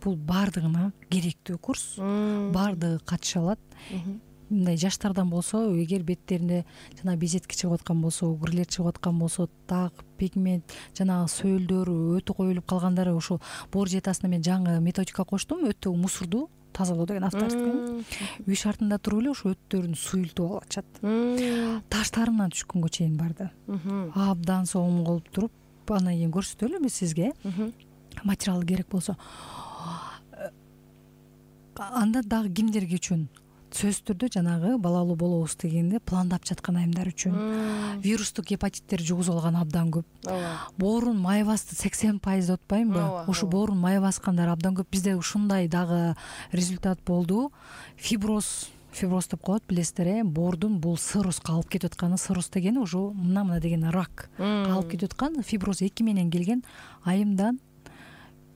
бул баардыгына керектүү курс, баардыгы катыша алат. Мындай жаштардан болсо, эгер беттеринде жана безетки чыгып аткан болсо, угурлер чыгып аткан болсо, так, пигмент, жана сөөлдөр өтө коюлуп калгандар, ошо боор диетасына мен жаңы методика коштум. Өтө мусорду тазалоо деген авторство экен. Үй шартында туруп эле ошо өттөрүн суюлтуп алып атышат. Таштарынан түшкөнгө чейин барды. Абдан соң кылып туруп, андан кийин көрсөтөлү биз сизге. Материал керек болсо. Анда дагы кимдерге үчүн? Сөзсүз түрдө жанагы балалуу болобуз дегенде пландап жаткан айымдар үчүн. Вирустук гепатиттер жугузуп алган абдан көп. Боорун май басты 80% деп атпаймынбы? Ошо боорун май баскандар абдан көп. Бизде ушундай дагы результат болду. Фиброз деп коет, билесиздер, боордун бул сыруска алып кетип атканы, сырус дегени уже мына деген рак алып кетип аткан. Фиброз 2 менен келген айымдан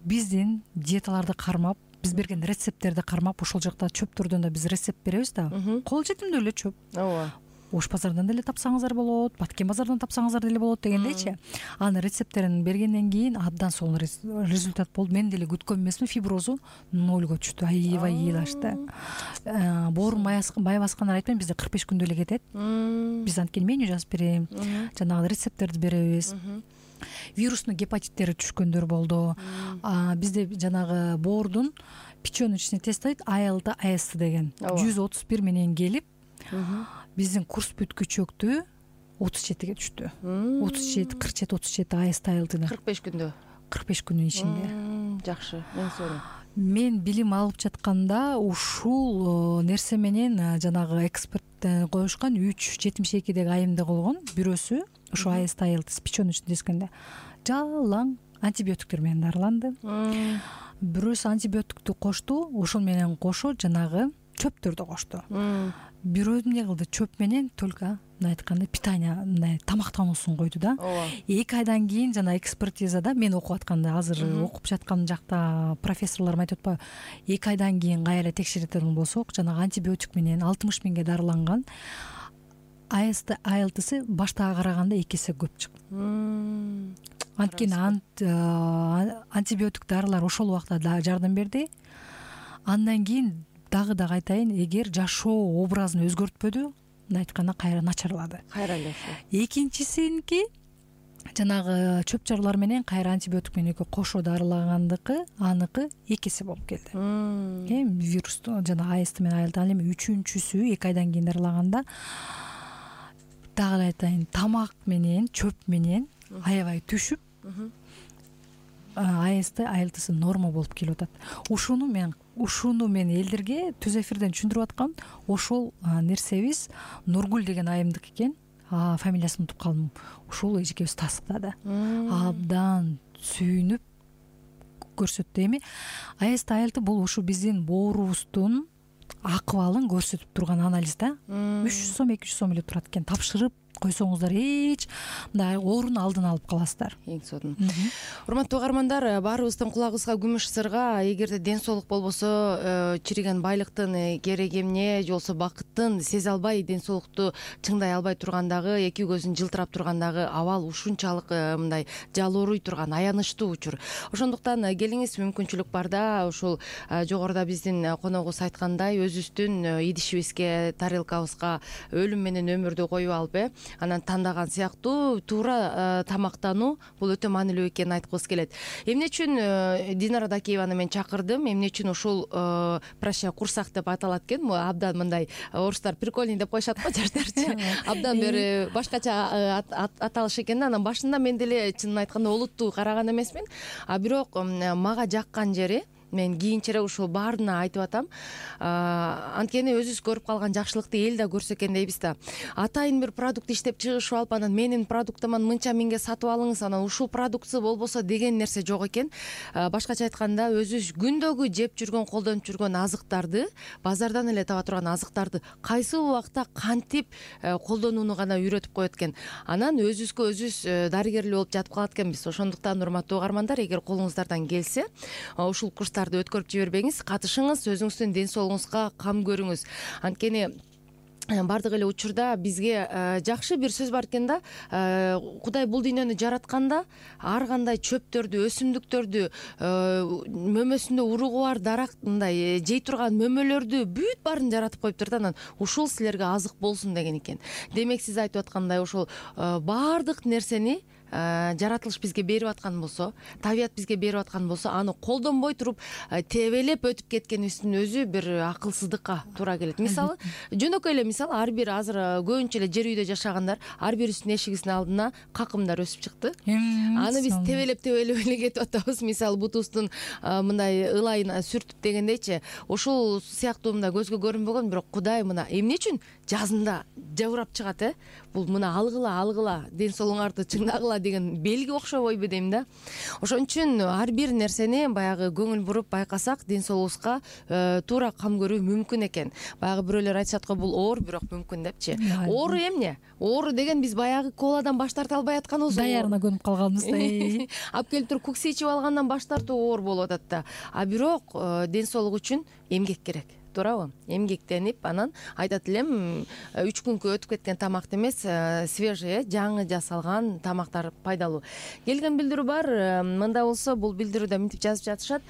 биздин диеталарды кармап, биз берген рецепттерди кармап, ошол жакта чөптөрдөн да биз рецепт беребиз да. Кол жетимдүү эле чөп. Ооба. Ош базардан деле тапсаңыздар болот, Баткен базардан тапсаңыздар деле болот дегендейчи. Анын рецепттерин бергенден кийин абдан сонун результат болду. Мен деле күткөн эмесмин, фиброзу нолго түштү. Аябай ыйлашты. Боорун май баскандар айтпайм, бизде 45 күндө эле кетет. Биз анткени меню жазып берем, жанагы рецепттерди беребиз. Вирусный гепатиттери түшкөндөр болду. Бизде жанагы боордун печёночный тестойт ALT, AST деген 131 менен келип, биздин курс бүткүчөктү 37ге түштү. 37, 47, AST, ALT-да 45 күндө. 45 күндүн ичинде. Жакшы, мен сонун. Мен билим алып жатканда ушул нерсе менен жанагы эксперт коюшкан 372деги айымда болгон бирөөсү ушу AST, ALT печёночный дескенде жалаң антибиотиктер менен дарыланды. Бирөөсү антибиотиктти кошту, ошол менен кошо жанагы чөптөрдү кошту. Бирөө эмне кылды? Чөп менен только айтканда питание, мындай тамактануусун койду да. 2 айдан кийин жана экспертизада мен окуп атканда, азыр окуп жаткан жакта профессорлорум айтып атпайбы, 2 айдан кийин кайра текшеретін болсок, жанагы антибиотик менен 60 миңге дарыланган AST, ALT-сы баштагы караганда 2 эсе көп чыкты. Анткени антибиотик дарылар ошол убакта да жардам берди. Андан кийин дагы айтайын, эгер жашоо образын өзгөртпөдү, айтканда кайра начарлады. Кайра эле ошо. Экинчисинки жанагы чөп чарлар менен кайра антибиотик менен кошо дарылагандыкы, аныкы 2 эсе болуп келди. Вирус жана AST менен айылды. Ал эми үчүнчүсү 2 айдан кийин дарылаганда дагы айтайын, тамак менен чөп менен аябай түшүп, AST, ALT-сы норма болуп келип атат. Ушуну мен элдерге түз эфирден түшүндүрүп аткам. Ошол нерсебиз Нургүл деген айымдык экен. Фамилиясын унутуп калдым. Ушул эжекебиз тастыктады. Абдан сүйүнүп көрсөттү. Эми AST, ALT бул ушу биздин боорубуздун акыбалын көрсөтүп турган анализ да. 300 сом, 200 сом эле турат экен. Тапшырып койсоңуздар эч мындай оорунун алдын алып каласыздар. Эң сонун. Урматтуу угармандар, баарыбыздын кулагыбызга күмүш сырга. Эгерде ден соолук болбосо, чириген байлыктын кереги эмне, же болбосо бакыттын сезе албай, ден соолукту чыңдай албай тургандагы, эки көзүн жылтырап тургандагы абал ушунчалык мындай жалооруй турган аянычтуу учур. Ошондуктан келиңиз, мүмкүнчүлүк барда ушул жогоруда биздин коногубуз айткандай, өзүбүздүн идишибизге, тарелкабызга өлүм менен өмүрдү коюп алып, анан тандаган сыяктуу туура тамактануу бул өтө маанилүү экенин айткыбыз келет. Эмне үчүн Динара Дакиеваны мен чакырдым? Эмне үчүн ушул проща курсак деп аталат экен? Абдан мындай орустар прикольный деп коюшат го, жаштарчы. Абдан бир башкача аталыш экен да. Анан башында мен деле чынын айтканда олуттуу караган эмесмин. Бирок мага жаккан жери, мен кийинчерээк ушул баарына айтып атам. Анткени өзүбүз көрүп калган жакшылыкты эл да көрсө экен дейбиз да. Атайын бир продукт иштеп чыгышып алып, анан менин продуктуман мынча миңге сатып алыңыз, анан ушул продукция болбосо деген нерсе жок экен. Башкача айтканда, өзүбүз күндөгү жеп жүргөн, колдонуп жүргөн азыктарды, базардан эле таба турган азыктарды кайсы убакта кантип колдонууну гана үйрөтүп коет экен. Анан өзүбүзгө өзүбүз дарыгерлүү болуп жатып калат экенбиз. Ошондуктан урматтуу угармандар, эгер колуңуздардан келсе, ушул курстарды өткөрүп жибербеңиз, катышыңыз, өзүңүздүн ден соолугуңузга кам көрүңүз. Анткени бардык эле учурда бизге жакшы бир сөз бар экен да. Кудай бул дүйнөнү жаратканда ар кандай чөптөрдү, өсүмдүктөрдү, мөмөсүндө уругу бар дарак, мындай жей турган мөмөлөрдү бүт баарын жаратып коюптур да. Анан ушул силерге азык болсун деген экен. Демек сиз айтып аткандай ошол баардык нерсени жаратылыш бизге берип аткан болсо, табият бизге берип аткан болсо, аны колдонбой туруп тебелеп өтүп кеткенибиздин өзү бир акылсыздыкка туура келет. Мисалы, жөнөкөй эле мисал, ар бир азыр көбүнчө эле жер үйдө жашагандар ар бирибиздин эшигибиздин алдына какымдар өсүп чыкты. Аны биз тебелеп эле кетип атабыз. Мисалы, бутубуздун мындай ылайын сүртүп дегендейчи, ушул сыяктуу мындай көзгө көрүнбөгөн, бирок Кудай мына эмне үчүн жазында жабырап чыгат, бул мына алгыла ден соолугуңарды чыңдагыла деген белги окшобойбу дейм да. Ошон үчүн ар бир нерсени баягы көңүл буруп байкасак, ден соолугубузга туура кам көрүү мүмкүн экен. Баягы бирөөлөр айтышат го, бул оор, бирок мүмкүн депчи. Оору эмне? Оору деген биз баягы коладан баш тарта албай атканыбыз. Даярына көнүп калганбыз да. Алып келип туруп кукс ичип алгандан баш тартуу оор болуп атат да. А бирок ден соолук үчүн эмгек керек. Туурабы? Эмгектенип, анан айтат элем, 3 күнгө өтүп кеткен тамакты эмес, свежий, жаңы жасалган тамактар пайдалуу. Келген билдирүү бар. Мында болсо бул билдирүүдө мынтип жазып жатышат.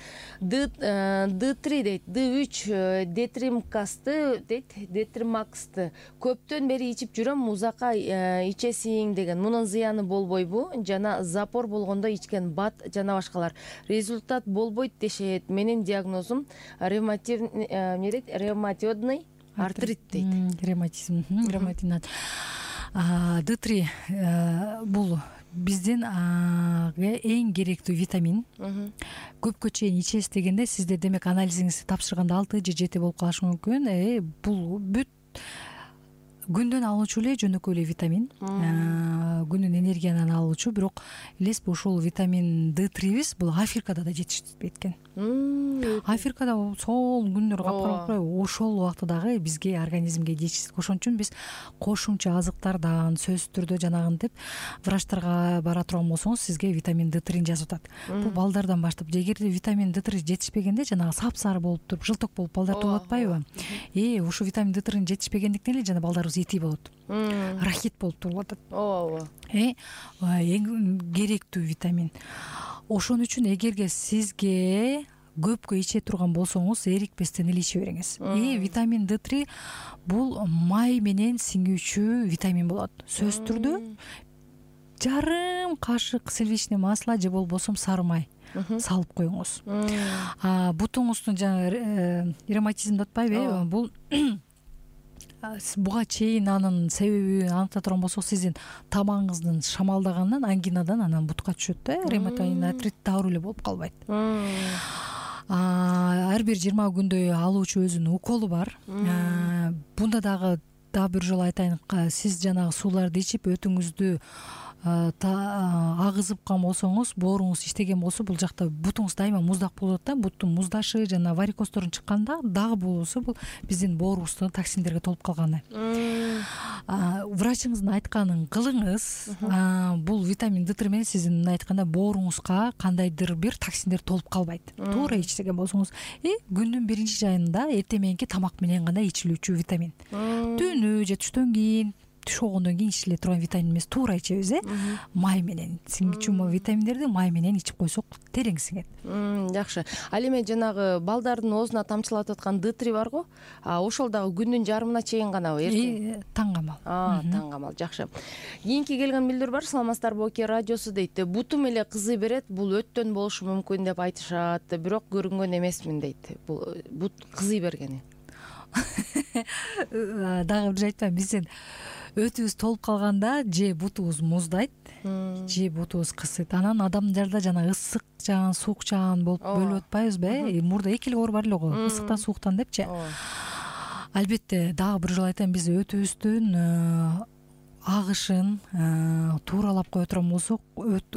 D3 дейт, D3 детримкасты дейт, детримаксты көптөн бери ичип жүрөм, узакка ичесиң деген. Мунун зыяны болбойбу? Жана запор болгондо ичкен бат жана башкалар. Результат болбойт дешет. Менин диагнозум ревматоидный артрит дейт. Ревматизм, ревматоидный. D3 бул биздин эң керектүү витамин. Көпкө чейин ичесиз дегенде сизде демек анализиңизди тапшырганда 6 же 7 болуп калышы мүмкүн. Бул бүт күндөн алуучу эле жөнөкөй эле витамин, күндүн энергияны алуучу, бирок элеспи ушул витамин D3биз бул Африкада да жетишпейт экен. Африкада сол күндөр капкара ошол убакта дагы бизге организмге жетишсиз. Ошон үчүн биз кошумча азыктардан сөзсүз түрдө жанагынтип врачтарга бара турган болсоңуз сизге витамин D3 жазып атат. Бул балдардан баштап. Эгерде витамин D3 жетишпегенде жанагы сапсары болуп туруп, жылток болуп балдар тууп атпайбы? Ушу витамин D3 жетишпегендиктен эле жана балдарыбыз ити болот. Рахит болуп туруп атат. Эң керектүү витамин. Ошон үчүн эгерге сизге көпкө иче турган болсоңуз, эрикпестен эле иче бериңиз. Витамин D3 бул май менен сиңүүчү витамин болот. Сөзсүз түрдө жарым кашык сливочный масло же болбосо сары май салып коюңуз. Бутуңуздун жаңы ревматизм деп атпайбы? Бул буга чейин анын себебин аныкта турган болсок, сиздин тамагыңыздын шамалдаганынан, ангинадан анан бутка түшөт да. Ревматоидный артрит дагы эле болуп калбайт. Ар бир 20 күндө алуучу өзүнүн уколу бар. Бунда дагы бир жолу айтайын, сиз жанагы сууларды ичип өтүңүздү агызыпкан болсоңуз, бооруңуз иштеген болсо, бул жакта бутуңуз дайыма муздак болот да. Буттун муздашы жана варикоздорун чыкканда дагы болсо, бул биздин боорубуздун токсиндерге толуп калганы. Врачыңыздын айтканын кылыңыз. Бул витамин D3 менен сиздин айтканда бооруңузга кандайдыр бир токсиндер толуп калбайт. Туура ичсеген болсоңуз, күндүн биринчи жайында эртең мененки тамак менен гана ичилүүчү витамин. Түнү же түштөн кийин, түш болгондон кийин ичиле турган витамин эмес, туура ичебиз, май менен. Сиңүүчү витаминдерди май менен ичип койсок терең сиңет. Жакшы. Ал эми жанагы балдардын оозуна тамчылатып аткан D3 барго, ошол дагы күндүн жарымына чейин ганабы? Таңгамал. Таңгамал. Жакшы. Кийинки келген билдирүү бар. Саламатсыздарбы, Оке радиосу дейт. Бутум эле кызый берет, бул өттөн болушу мүмкүн деп айтышат, бирок көрүнгөн эмесмин дейт. Бул бут кызый бергени. Дагы бир айтпайм, биздин өтүбүз толуп калганда же бутубуз муздайт, же бутубуз кысыйт. Анан адамдарда жана ысык жаан, суук жаан болуп бөлүп атпайбызбы? Мурда эки эле оор бар эле го, ысыктан, сууктан депчи. Албетте, дагы бир жолу айтайын, биз өтүбүздүн агышын тууралап кое турган болсок,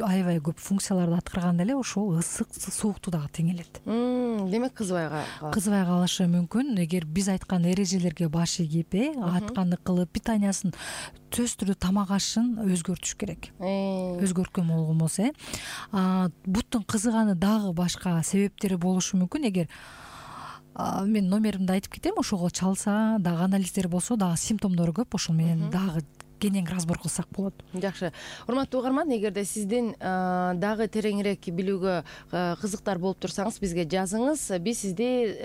аябай көп функцияларды аткарганда эле ошол ысык, суукту дагы теңелет. Демек кызбай калышы мүмкүн. Эгер биз айткан эрежелерге баш ийип, айтканды кылып, питаниясын сөзсүз түрдө тамак ашын өзгөртүш керек. Өзгөрткөн болгон болсо, буттун кызыганы дагы башка себептери болушу мүмкүн. Эгер мен номеримди айтып кетем, ошого чалса, дагы анализдер болсо, дагы симптомдору көп, ошол менен дагы кенен разбор кылсак болот. Жакшы. Урматтуу угарман, эгерде сиздин дагы тереңирээк билүүгө кызыктар болуп турсаңыз, бизге жазыңыз. Биз сизди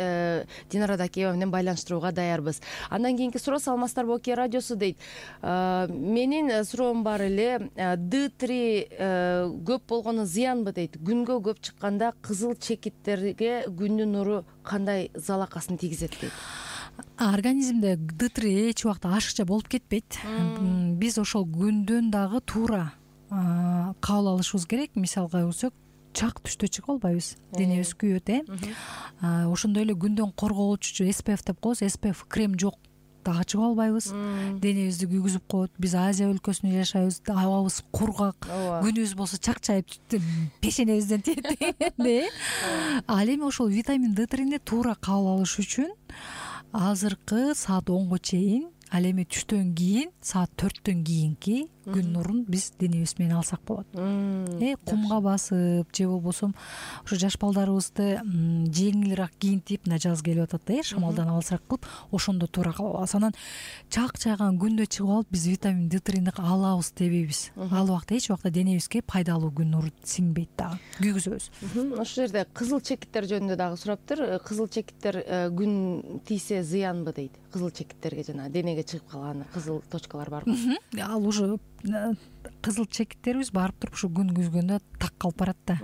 Динара Дакиева менен байланыштырууга даярбыз. Андан кийинки суроо Саламатсыздарбы Окей радиосу дейт. Менин суроом бар эле, D3 көп болгону зыянбы дейт. Күнгө көп чыкканда кызыл чекиттерге күндүн нуру кандай залакасын тийгизет дейт. Организмде D3 эч убакта ашыкча болуп кетпейт. Биз ошол күндөн дагы туура кабыл алышыбыз керек. Мисалга көрсөк, чак түштө чыгып албайбыз, денебиз күйөт. Ошондой эле күндөн коргоочу SPF деп коебуз, SPF крем жок, дагы чыгып албайбыз, денебизди күйгүзүп коет. Биз Азия өлкөсүндө жашайбыз, абабыз кургак, күнүбүз болсо чакчайып пешенебизден тиет. Ал эми ошол витамин D3-ни туура кабыл алыш үчүн азыркы саат 10го чейин, ал эми түштөн кийин саат 4төн кийинки күн нурун биз денебиз менен алсак болот. Кумга басып же болбосо ошо жаш балдарыбызды жеңилирээк кийинтип, мына жаз келип атат да, шамалдан алсак кылып, ошондо туура кабыл алабыз. Анан чакчайган күндө чыгып алып биз витамин D3-ни алабыз дебейбиз. Ал убакта эч убакта денебизге пайдалуу күн нуру сиңбейт дагы, күйгүзөбүз. Ошол жерде кызыл чекиттер жөнүндө дагы сураптыр. Кызыл чекиттер күн тийсе зыянбы дейт. Кызыл чекиттерге жана денеге чыгып калган кызыл точкалар барбы? Ал уже кызыл чекиттерибиз барып туруп ушу күн күзгөндө так калып барат да.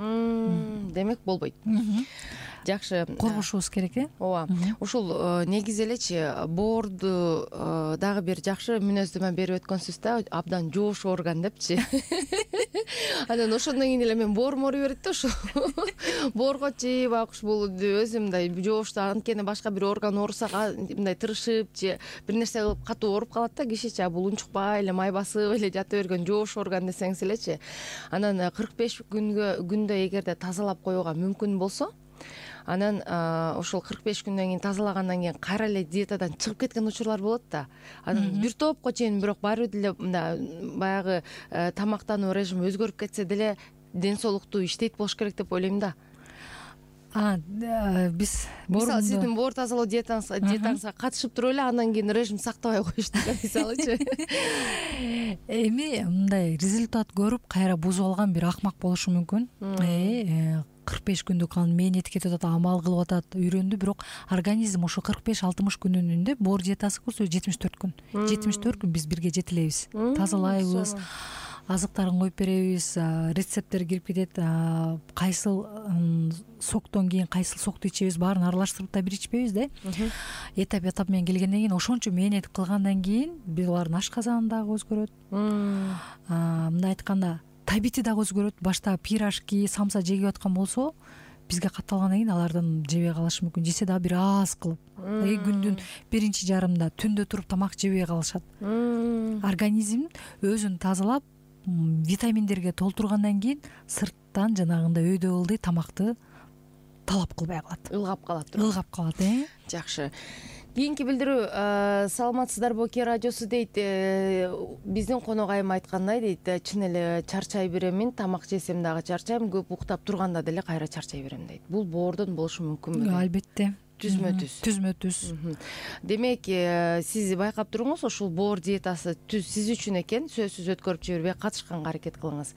Демек болбойт. Жакшы. Коргошубуз керек, ооба. Ушул негизи элечи боорду дагы бир жакшы мүнөздөмө берип өткөнсүз да, абдан жоош орган депчи. Анан ошондон кийин эле мен боорум ооруй берет да, ошо боорго чейип ушул өзүм мындай жоошта, анткени башка бир орган ооруса мындай тырышып же бир нерсе кылып катуу ооруп калат да, кишиче бул унчукпай эле май басып эле жата берген жоош орган десеңиз элечи. Анан 45 күндө эгерде тазалап коюуга мүмкүн болсо, анан ошол 45 күндөн кийин тазалагандан кийин кайра эле диетадан чыгып кеткен учурлар болот да. Анан бир топко чейин бирок баары бир деле баягы тамактануу режими өзгөрүп кетсе деле ден соолуктуу иштейт болуш керек деп ойлойм да. Биз мисалы сиздин боор тазалоо диетаңызга катышып туруп эле андан кийин режим сактабай коюшту мисалычы. Эми мындай результат көрүп кайра бузуп алган бир акмак болушу мүмкүн. 45 күндүк анын мээнети кетип атат, амал кылып атат, үйрөндү, бирок организм ошо 45-60 күнүндө боор диетасы көрсө 74 күн. 74 күн биз бирге жетилебиз, тазалайбыз, азыктарын коюп беребиз, рецепттер кирип кетет, кайсыл соктон кийин кайсыл сокту ичебиз, баарын аралаштырып да бир ичпейбиз да. Этап менен келгенден кийин ошончо мээнет кылгандан кийин булардын ашказаны дагы өзгөрөт. Мындай айтканда табити дагы өзгөрөт. Башта пирожки, самса жегип аткан болсо, бизге катталгандан кийин алардан жебей калышы мүмкүн. Жесе дагы бир аз кылып. Күндүн биринчи жарымында түндө туруп тамак жебей калышат. Организм өзүн тазалап, витаминдерге толтургандан кийин сырттан жанагындай өйдө ылдый тамакты талап кылбай калат. Ылгап калат. Жакшы. Кийинки билдирүү Саламатсыздарбы Окей радиосу дейт. Биздин конок айым айткандай дейт, чын эле чарчай беремин, тамак жесем дагы чарчайм, көп уктап турганда деле кайра чарчай берем дейт. Бул боордон болушу мүмкүнбү? Албетте. Түзмө-түз. Демек, сиз байкап туруңуз, ушул боор диетасы түз сиз үчүн экен, сөзсүз өткөрүп жибербей катышканга аракет кылыңыз.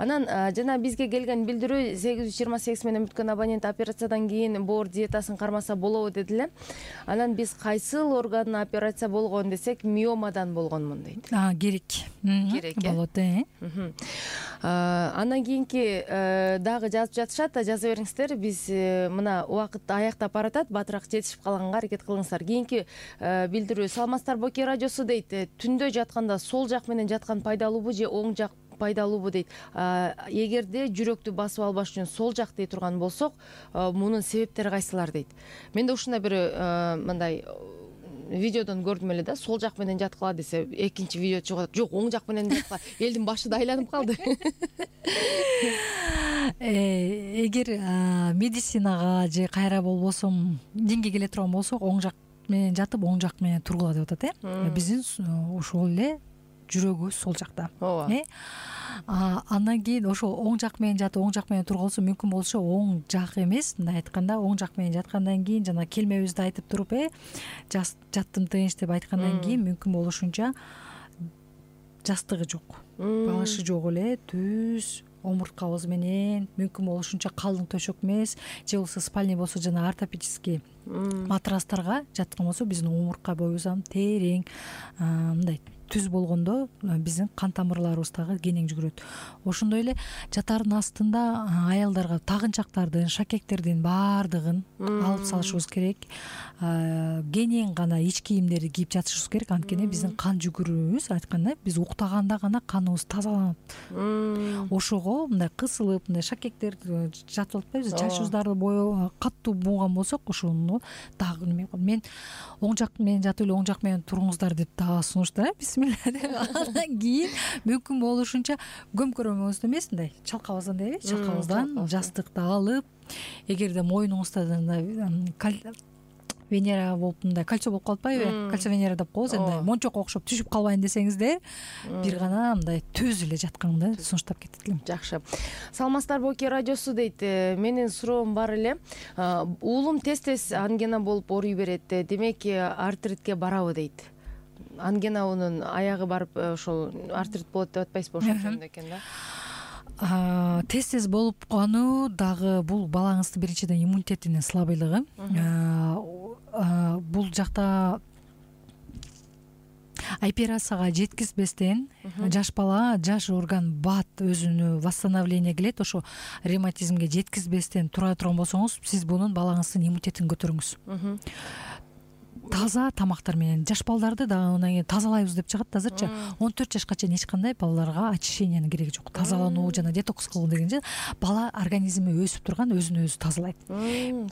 Анан жана бизге келген билдирүү 828 менен бүткөн абонент операциядан кийин боор диетасын кармаса болобу деди эле. Анан биз кайсыл орган операция болгон десек, миомадан болгонмун дейт. Керек болот. Андан кийинки дагы жазып жатышат, жаза бериңиздер. Биз мына убакыт аяктап баратат, батыраак жетишип калганга аракет кылыңыздар. Кийинки билдирүү Саламатсыздарбы Окей радиосу дейт. Түндө жатканда сол жак менен жаткан пайдалуубу же оң жак пайдалуубу дейт. Эгерде жүрөктү басып албаш үчүн сол жак дей турган болсок, мунун себептери кайсылар дейт. Менде ушундай бир мындай видеодон көрдүм эле да, сол жак менен жаткыла десе, экинчи видео чыгып атат, жок, оң жак менен жаткыла. Элдин башы да айланып калды. Эгер медицинага же кайра болбосо динге келе турган болсок, оң жак менен жатып, оң жак менен тургула деп атат. Биздин ошол эле жүрөгүбүз сол жакта. Андан кийин ошо оң жак менен жатып, оң жак менен тургулса мүмкүн болсо оң жак эмес, мындай айтканда, оң жак менен жаткандан кийин жана келмебизди айтып туруп, жаттым тынч деп айткандан кийин мүмкүн болушунча жастыгы жок, балышы жок эле, түз омурткабыз менен мүмкүн болушунча калың төшөк эмес же болбосо спальный болсо жана ортопедический матрастарга жаткан болсо биздин омуртка боюбуздан терең мындай түз болгондо биздин кан тамырларыбыз дагы кенең жүгүрөт. Ошондой эле жатардын астында аялдарга тагынчактардын, шакектердин баардыгын алып салышыбыз керек. Кенең гана ич кийимдерди кийип жатышыбыз керек, анткени биздин кан жүгүрүүбүз айткандай биз уктаганда гана каныбыз тазаланат. Ошого мындай кысылып, мындай шакектер жатып атпайбызбы, чачыбыздарды бою катуу бунган болсок, ошону дагы неме кылып, мен оң жак менен жатып эле оң жак менен туруңуздар деп дагы сунуштайм. Андан кийин мүмкүн болушунча көмкөрөмөбүздөн эмес, мындай чалкабыздан дейби, чалкабыздан жастыкты алып, эгерде моюнуңузда Венера болуп мындай кольцо болуп калып атпайбы, кольцо Венера деп коебуз, мындай мончокко окшоп түшүп калбайын десеңиздер, бир гана мындай түз эле жатканды сунуштап кетет элем. Жакшы. Саламатсыздарбы Оке радиосу дейт. Менин суроом бар эле. Уулум тез-тез ангина болуп ооруй берет. Демек, артритке барабы дейт. Ангинаунун аягы барып ошол артрит болот деп атпайсызбы, ошол жөнүндө экен да. Тез-тез болуп калуу дагы бул балаңыздын биринчиден иммунитетинин слабыйлыгы. Бул жакта операцияга жеткизбестен жаш бала, жаш орган бат өзүнө восстановление келет. Ошо ревматизмге жеткизбестен тура турган болсоңуз, сиз бунун балаңыздын иммунитетин көтөрүңүз. Таза тамактар менен жаш балдарды дагы андан кийин тазалайбыз деп чыгат азырчы. 14 жашка чейин эч кандай балаларга очищениянын кереги жок. Тазалануу жана детокс кылуу дегенче бала организми өсүп турган, өзүн өзү тазалайт.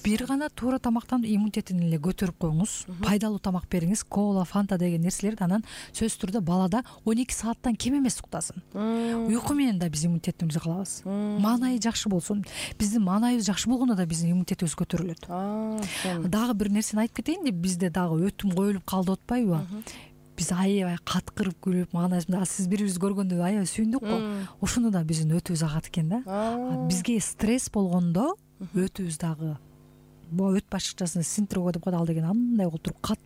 Бир гана туура тамактан иммунитетин эле көтөрүп коюңуз. Пайдалуу тамак бериңиз, кола, фанта деген нерселерди, анан сөзсүз түрдө балада 12 сааттан кем эмес уктасын. Уйку менен да биз иммунитетибизди калабыз. Маанайы жакшы болсун. Биздин маанайыбыз жакшы болгондо да биздин иммунитетибиз көтөрүлөт. Дагы бир нерсени айтып кетейин деп, бизде дагы өтүм коюлуп калды атпайбы? Биз аябай каткырып күлүп, маанайыбызда сиз бири бирибизди көргөндө аябай сүйүндүк го. Ошону да биздин өтүбүз агат экен да. Бизге стресс болгондо өтүбүз дагы өт башыкчасын синтрово деп коет, ал деген андай болуп туруп кат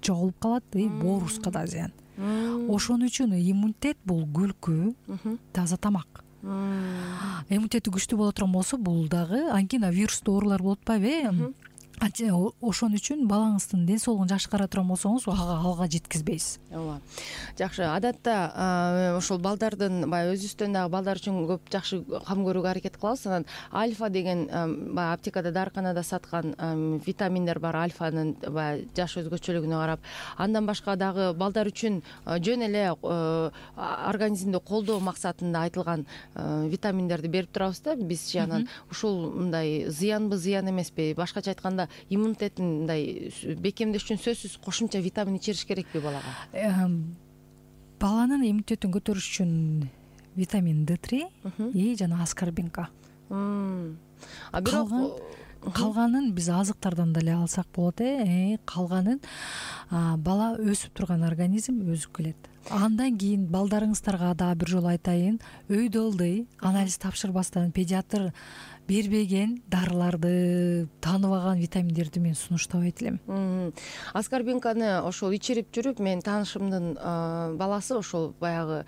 жоголуп калат, боорубузга да зыян. Ошон үчүн иммунитет бул күлкү, таза тамак. Иммунитети күчтүү боло турган болсо, бул дагы ангина вирустуу оорулар болуп атпайбы? Ошон үчүн балаңыздын ден соолугун жакшыра турган болсоңуз, алга жеткизбейсиз. Ооба. Жакшы. Адатта ошол балдардын баягы өзүбүздөн дагы балдар үчүн көп жакшы кам көрүүгө аракет кылабыз. Анан альфа деген баягы аптекада, дарыканада саткан витаминдер бар, альфанын баягы жаш өзгөчөлүгүнө карап. Андан башка дагы балдар үчүн жөн эле организмди колдоо максатында айтылган витаминдерди берип турабыз да бизчи. Анан ушул мындай зыянбы, зыян эмеспи? Башкача айтканда, иммунитетин мындай бекемдеш үчүн сөзсүз кошумча витамин ичириш керекпи балага? Баланын иммунитетин көтөрүш үчүн витамин D3 жана аскорбинка. Бирок калганын биз азыктардан деле алсак болот. Калганын бала өсүп турган организм өзүп келет. Андан кийин балдарыңыздарга да бир жолу айтайын, өйдө ылдый анализ тапшырбастан педиатр бербеген дарыларды, тааныбаган витаминдерди мен сунуштабайт элем. Аскорбинканы ошол ичирип жүрүп, мен таанышымдын баласы ошол баягы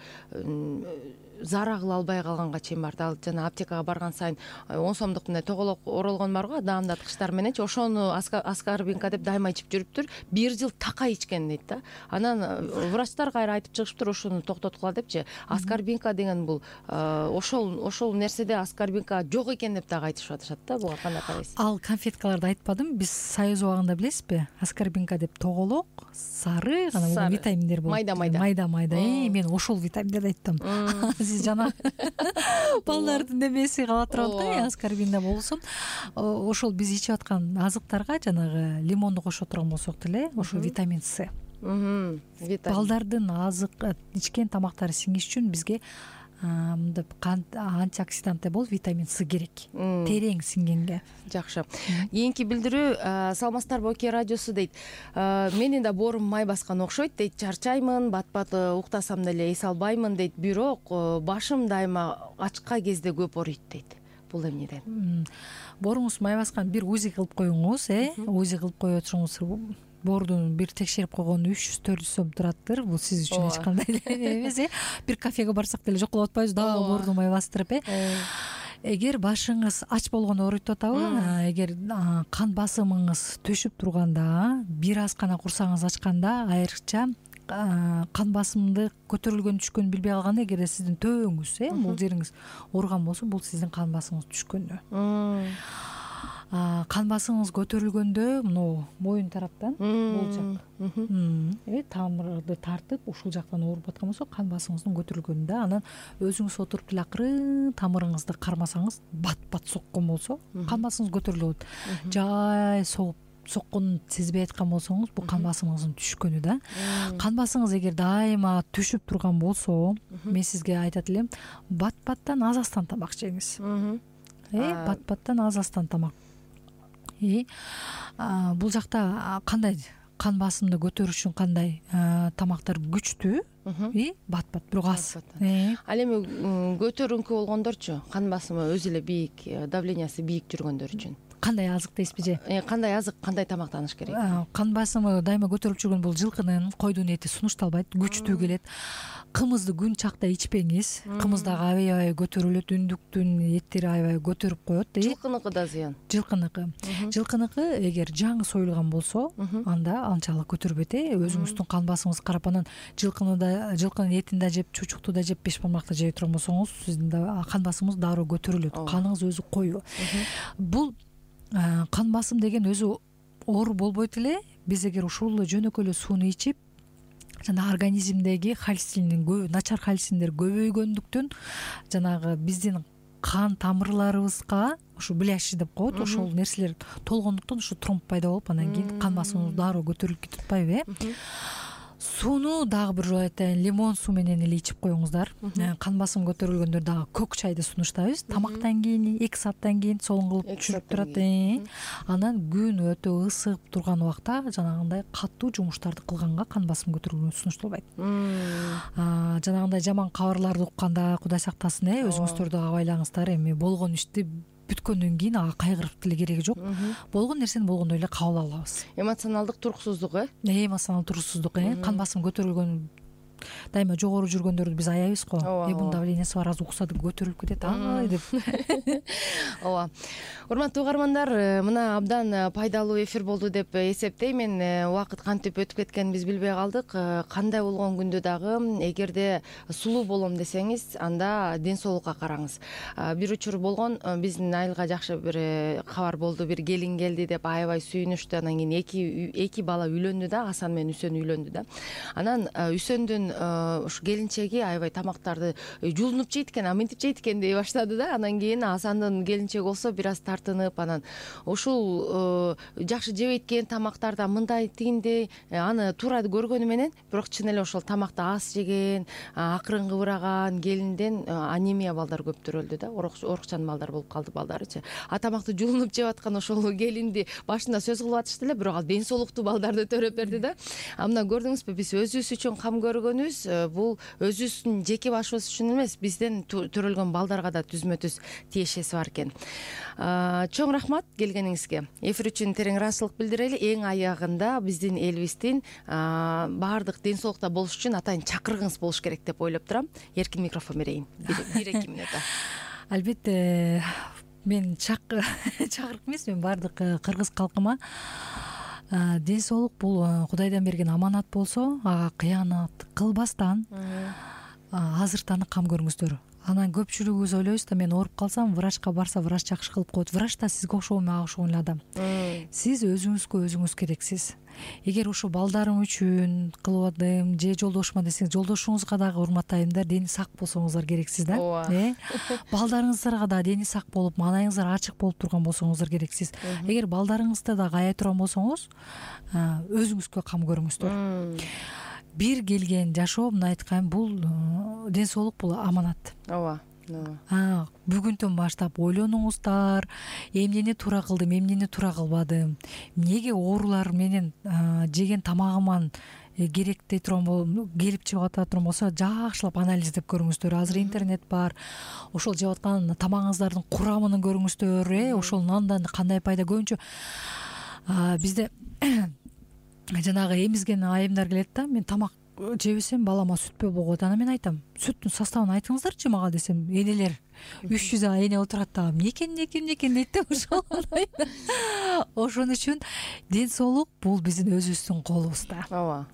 зара кыла албай калганга чейин барды. Ал жана аптекага барган сайын 10 сомдук мындай тоголок оролгон барго, даамдаткычтар мененчи, ошону аскорбинка деп дайыма ичип жүрүптүр. 1 жыл такай ичкен дейт да. Анан врачтар кайра айтып чыгышыптыр, ошону токтоткула депчи. Аскорбинка деген бул ошол нерседе аскорбинка жок экен деп дагы айтышып атышат да. Буга кандай карайсыз? Ал конфеткаларды айтпадым. Биз союз убагында билесизби? Аскорбинка деп тоголок, сары гана витаминдер болот. Майда. Мен ошол витаминдерди айттым. Сиз жана балдардын немеси кала турат да, аскорбинда болсун. Ошол биз ичип аткан азыктарга жанагы лимонду кошо турган болсок деле, ошо витамин С. Балдардын азык ичкен тамактары сиңиш үчүн бизге антиоксидант болуп витамин С керек. Терең сиңгенге. Жакшы. Кийинки билдирүү, саламатсыздарбы Оке радиосу дейт. Менин да боорум май баскан окшойт дейт. Чарчаймын, бат-бат уктасам деле эс албаймын дейт. Бирок башым дайыма ачка кезде көп ооруйт дейт. Бул эмнеден? Бооруңуз май баскан, бир УЗИ кылып коюңуз, УЗИ кылып кое турсоңуз боордун бир текшерип койгону 300-400 сом туратыр. Бул сиз үчүн эч кандай эле эмес. Бир кафеге барсак деле жоколоп атпайбыз, дагы боорду май бастырып. Эгер башыңыз ач болгону ооруйт атабы, эгер кан басымыңыз төшүп турганда, бир аз гана курсагыңыз ачканда, айрыкча кан басымды көтөрүлгөн түшкөнүн билбей калганда, эгер сиздин төбөңүз, бул жериңиз ооруган болсо, бул сиздин кан басымыңыз түшкөнү. Кан басымыңыз көтөрүлгөндө могу моюн тараптан бул жак тамырды тартып ушул жактан ооруп аткан болсо, кан басымыңыздын көтөрүлгөнүндө, анан өзүңүз отуруп деле акырын тамырыңызды кармасаңыз, бат соккон болсо, кан басымыңыз көтөрүлүп атат. Жай сокконун сезбей аткан болсоңуз, бул кан басымыңыздын түшкөнү да. Кан басыңыз эгер дайыма түшүп турган болсо, мен сизге айтат элем, бат-баттан аз-аздан тамак жеңиз. Бат-баттан аз-аздан тамак. Бул жакта кандай кан басымды көтөрүш үчүн кандай тамактар күчтүү, бат-бат, бирок аз. Ал эми көтөрүңкү болгондорчу, кан басымы өзү эле бийик, давлениясы бийик жүргөндөр үчүн кандай азык дейсизби же? Кандай азык, кандай тамактаныш керек? Кан басымы дайыма көтөрүлүп жүргөн бул жылкынын, койдун эти сунушталбайт, күчтүү келет. Кымызды күн чакта ичпеңиз. Кымыз дагы аябай көтөрүлөт, үндүктүн эттери аябай көтөрүп коет. Жылкыныкы да зыян. Жылкыныкы эгер жаңы союлган болсо, анда анчалык көтөрбөйт. Өзүңүздүн кан басымыңыз карап, анан жылкынын этин да жеп, чучукту да жеп, бешбармак да жей турган болсоңуз, сиздин кан басымыңыз дароо көтөрүлөт. Каныңыз өзү коюу. Бул кан басым деген өзү оору болбойт эле. Биз эгер ушул жөнөкөй эле сууну ичип, жана организмдеги начар холестериндер көбөйгөндүктөн, жанагы биздин кан тамырларыбызга ушу бляши деп коет, ошол нерселер толгондуктан ушу тромб пайда болуп, анан кийин кан басымыбыз дароо көтөрүлүп кетип атпайбы? Сууну дагы бир жолу айтайын, лимон суу менен эле ичип коюңуздар. Кан басым көтөрүлгөндөр дагы көк чайды сунуштайбыз. Тамактан кийин 2 сааттан кийин солон кылып түшүрүп турат. Анан күн өтө ысыгып турган убакта жанагындай катуу жумуштарды кылганга кан басым көтөрүлгөнү сунушталбайт. Жанагындай жаман кабарларды укканда, Кудай сактасын, өзүңүздөр дагы абайлаңыздар. Эми болгон ишти бүткөндөн кийин ага кайгырып деле кереги жок. Болгон нерсени болгондой эле кабыл алабыз. Эмоционалдык туруксуздук, эмоционалдык туруксуздук, кан басым көтөрүлгөн дайыма жогору жүргөндөрдү биз аябайбыз го. Бунун давлениясы бар, аз укса деп көтөрүлүп кетет, деп. Ооба. Урматтуу угармандар, мына абдан пайдалуу эфир болду деп эсептеймин. Убакыт кантип өтүп кеткенин биз билбей калдык. Кандай болгон күндө дагы эгерде сулуу болом десеңиз, анда ден соолукка караңыз. Бир учур болгон, биздин айылга жакшы бир кабар болду. Бир келин келди деп аябай сүйүнүштү. Анан кийин эки бала үйлөндү да, Асан менен Үсөн үйлөндү да. Анан Үсөндүн ушу келинчеги аябай тамактарды жуулунуп жейт экен, мынтип жейт экен дей баштады да. Анан кийин Асандын келинчеги болсо бир аз тартынып, анан ушул жакшы жебейт экен тамактарда мындай тигиндей, аны туура көргөнү менен, бирок чын эле ошол тамакты аз жеген, акырын кыбыраган келинден анемия балдар көп төрөлдү да, орукчан балдар болуп калды балдарычы. Тамакты жуулунуп жеп аткан ошол келинди башында сөз кылып атышты эле, бирок ал ден соолуктуу балдарды төрөп берди да. Мына көрдүңүзбү, биз өзүбүз үчүн кам көргөнүбүз, бул өзүбүздүн жеке башыбыз үчүн эмес, бизден төрөлгөн балдарга да түзмө-түз тиешеси бар экен. Чоң рахмат келгениңизге. Эфир үчүн терең ыраазычылык билдирели. Эң аягында биздин элибиздин баардык ден соолукта болуш үчүн атайын чакыргыңыз болуш керек деп ойлоп турам. Эркин микрофон берейин. 1-2 мүнөт. Албетте, мен чакырык эмес, мен баардык кыргыз калкыма ден соолук бул Кудайдан берген аманат болсо, ага кыянат кылбастан азыртаны кам көрүңүздөр. Анан көпчүлүгүбүз ойлойбуз да, мен ооруп калсам, врачка барса, врач жакшы кылып коет. Врач да сизге окшогон, мага окшогон эле адам. Сиз өзүңүзгө өзүңүз керексиз. Эгер ушу балдарым үчүн кылып атдым, же жолдошума десеңиз, жолдошуңузга дагы урматтайм да, дени сак болсоңуздар керексиз да. Балдарыңыздарга да дени сак болуп, маанайыңыздар ачык болуп турган болсоңуздар керексиз. Эгер балдарыңызды дагы ая турган болсоңуз, өзүңүзгө кам көрүңүздөр. Бир келген жашоо, мына айткан, бул ден соолук, бул аманат. Ооба. Бүгүндөн баштап ойлонуңуздар, эмнени туура кылдым, эмнени туура кылбадым, эмнеге оорулар менен жеген тамагыман керек дей турган келип чыгып ата турган болсо, жакшылап анализдеп көрүңүздөр. Азыр интернет бар, ошол жеп аткан тамагыңыздардын курамын көрүңүздөр, ошол нандан кандай пайда. Көбүнчө бизде жанагы эмизген айымдар келет да, мен тамак жебесем балама сүт болот. Анан мен айтам, сүттүн составын айтыңыздарчы мага десем, энелер 300 эне отурат да, эмне экен дейт да. Ошон үчүн ден соолук бул биздин өзүбүздүн колубузда. Ооба.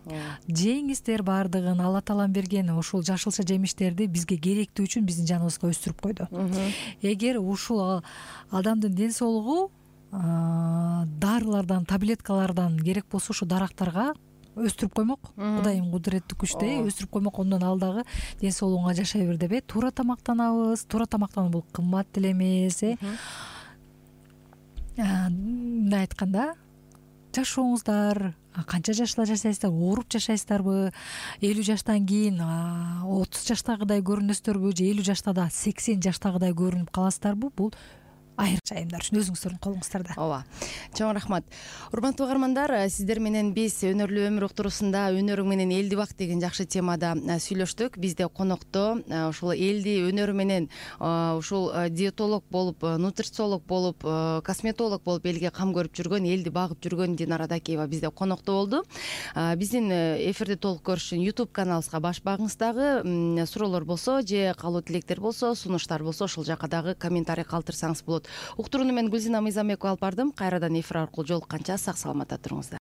Жеңиздер баардыгын Алла таалам берген ушул жашылча жемиштерди бизге керектүү үчүн биздин жаныбызга өстүрүп койду. Эгер ушул адамдын ден соолугу дарылардан, таблеткалардан керек болсо ушу дарактарга өстүрүп коймок, Кудайым кудуреттүү күчтө өстүрүп коймок, ондон ал дагы ден соолугуңа жашай бер деп. Туура тамактанабыз. Туура тамактануу бул кымбат деле эмес. Мындай айтканда, жашооңуздар канча жашта жашайсыздар, ооруп жашайсыздарбы, 50 жаштан кийин 30 жаштагыдай көрүнөсүздарбы же 50 жашта да 80 жаштагыдай көрүнүп каласыздарбы, бул айрыкча айымдар үчүн өзүңүздөрдүн колуңуздарда. Ооба. Чоң рахмат. Урматтуу угармандар, сиздер менен биз өнөрлүү өмүр уктуруусунда өнөрүң менен элди бак деген жакшы темада сүйлөштүк. Бизде конокто ушул элди өнөрү менен ушул диетолог болуп, нутрициолог болуп, косметолог болуп элге кам көрүп жүргөн, элди багып жүргөн Динара Дакиева бизде конокто болду. Биздин эфирди толук көрүш үчүн YouTube каналыбызга баш багыңыз. Дагы суроолор болсо же калуу тилектер болсо, сунуштар болсо ошол жака дагы комментарий калтырсаңыз болот. Уктурууну мен Гүлзина Мыйзамбекова алып бардым. Кайрадан эфир аркылуу жолукканча сак саламатта туруңуздар.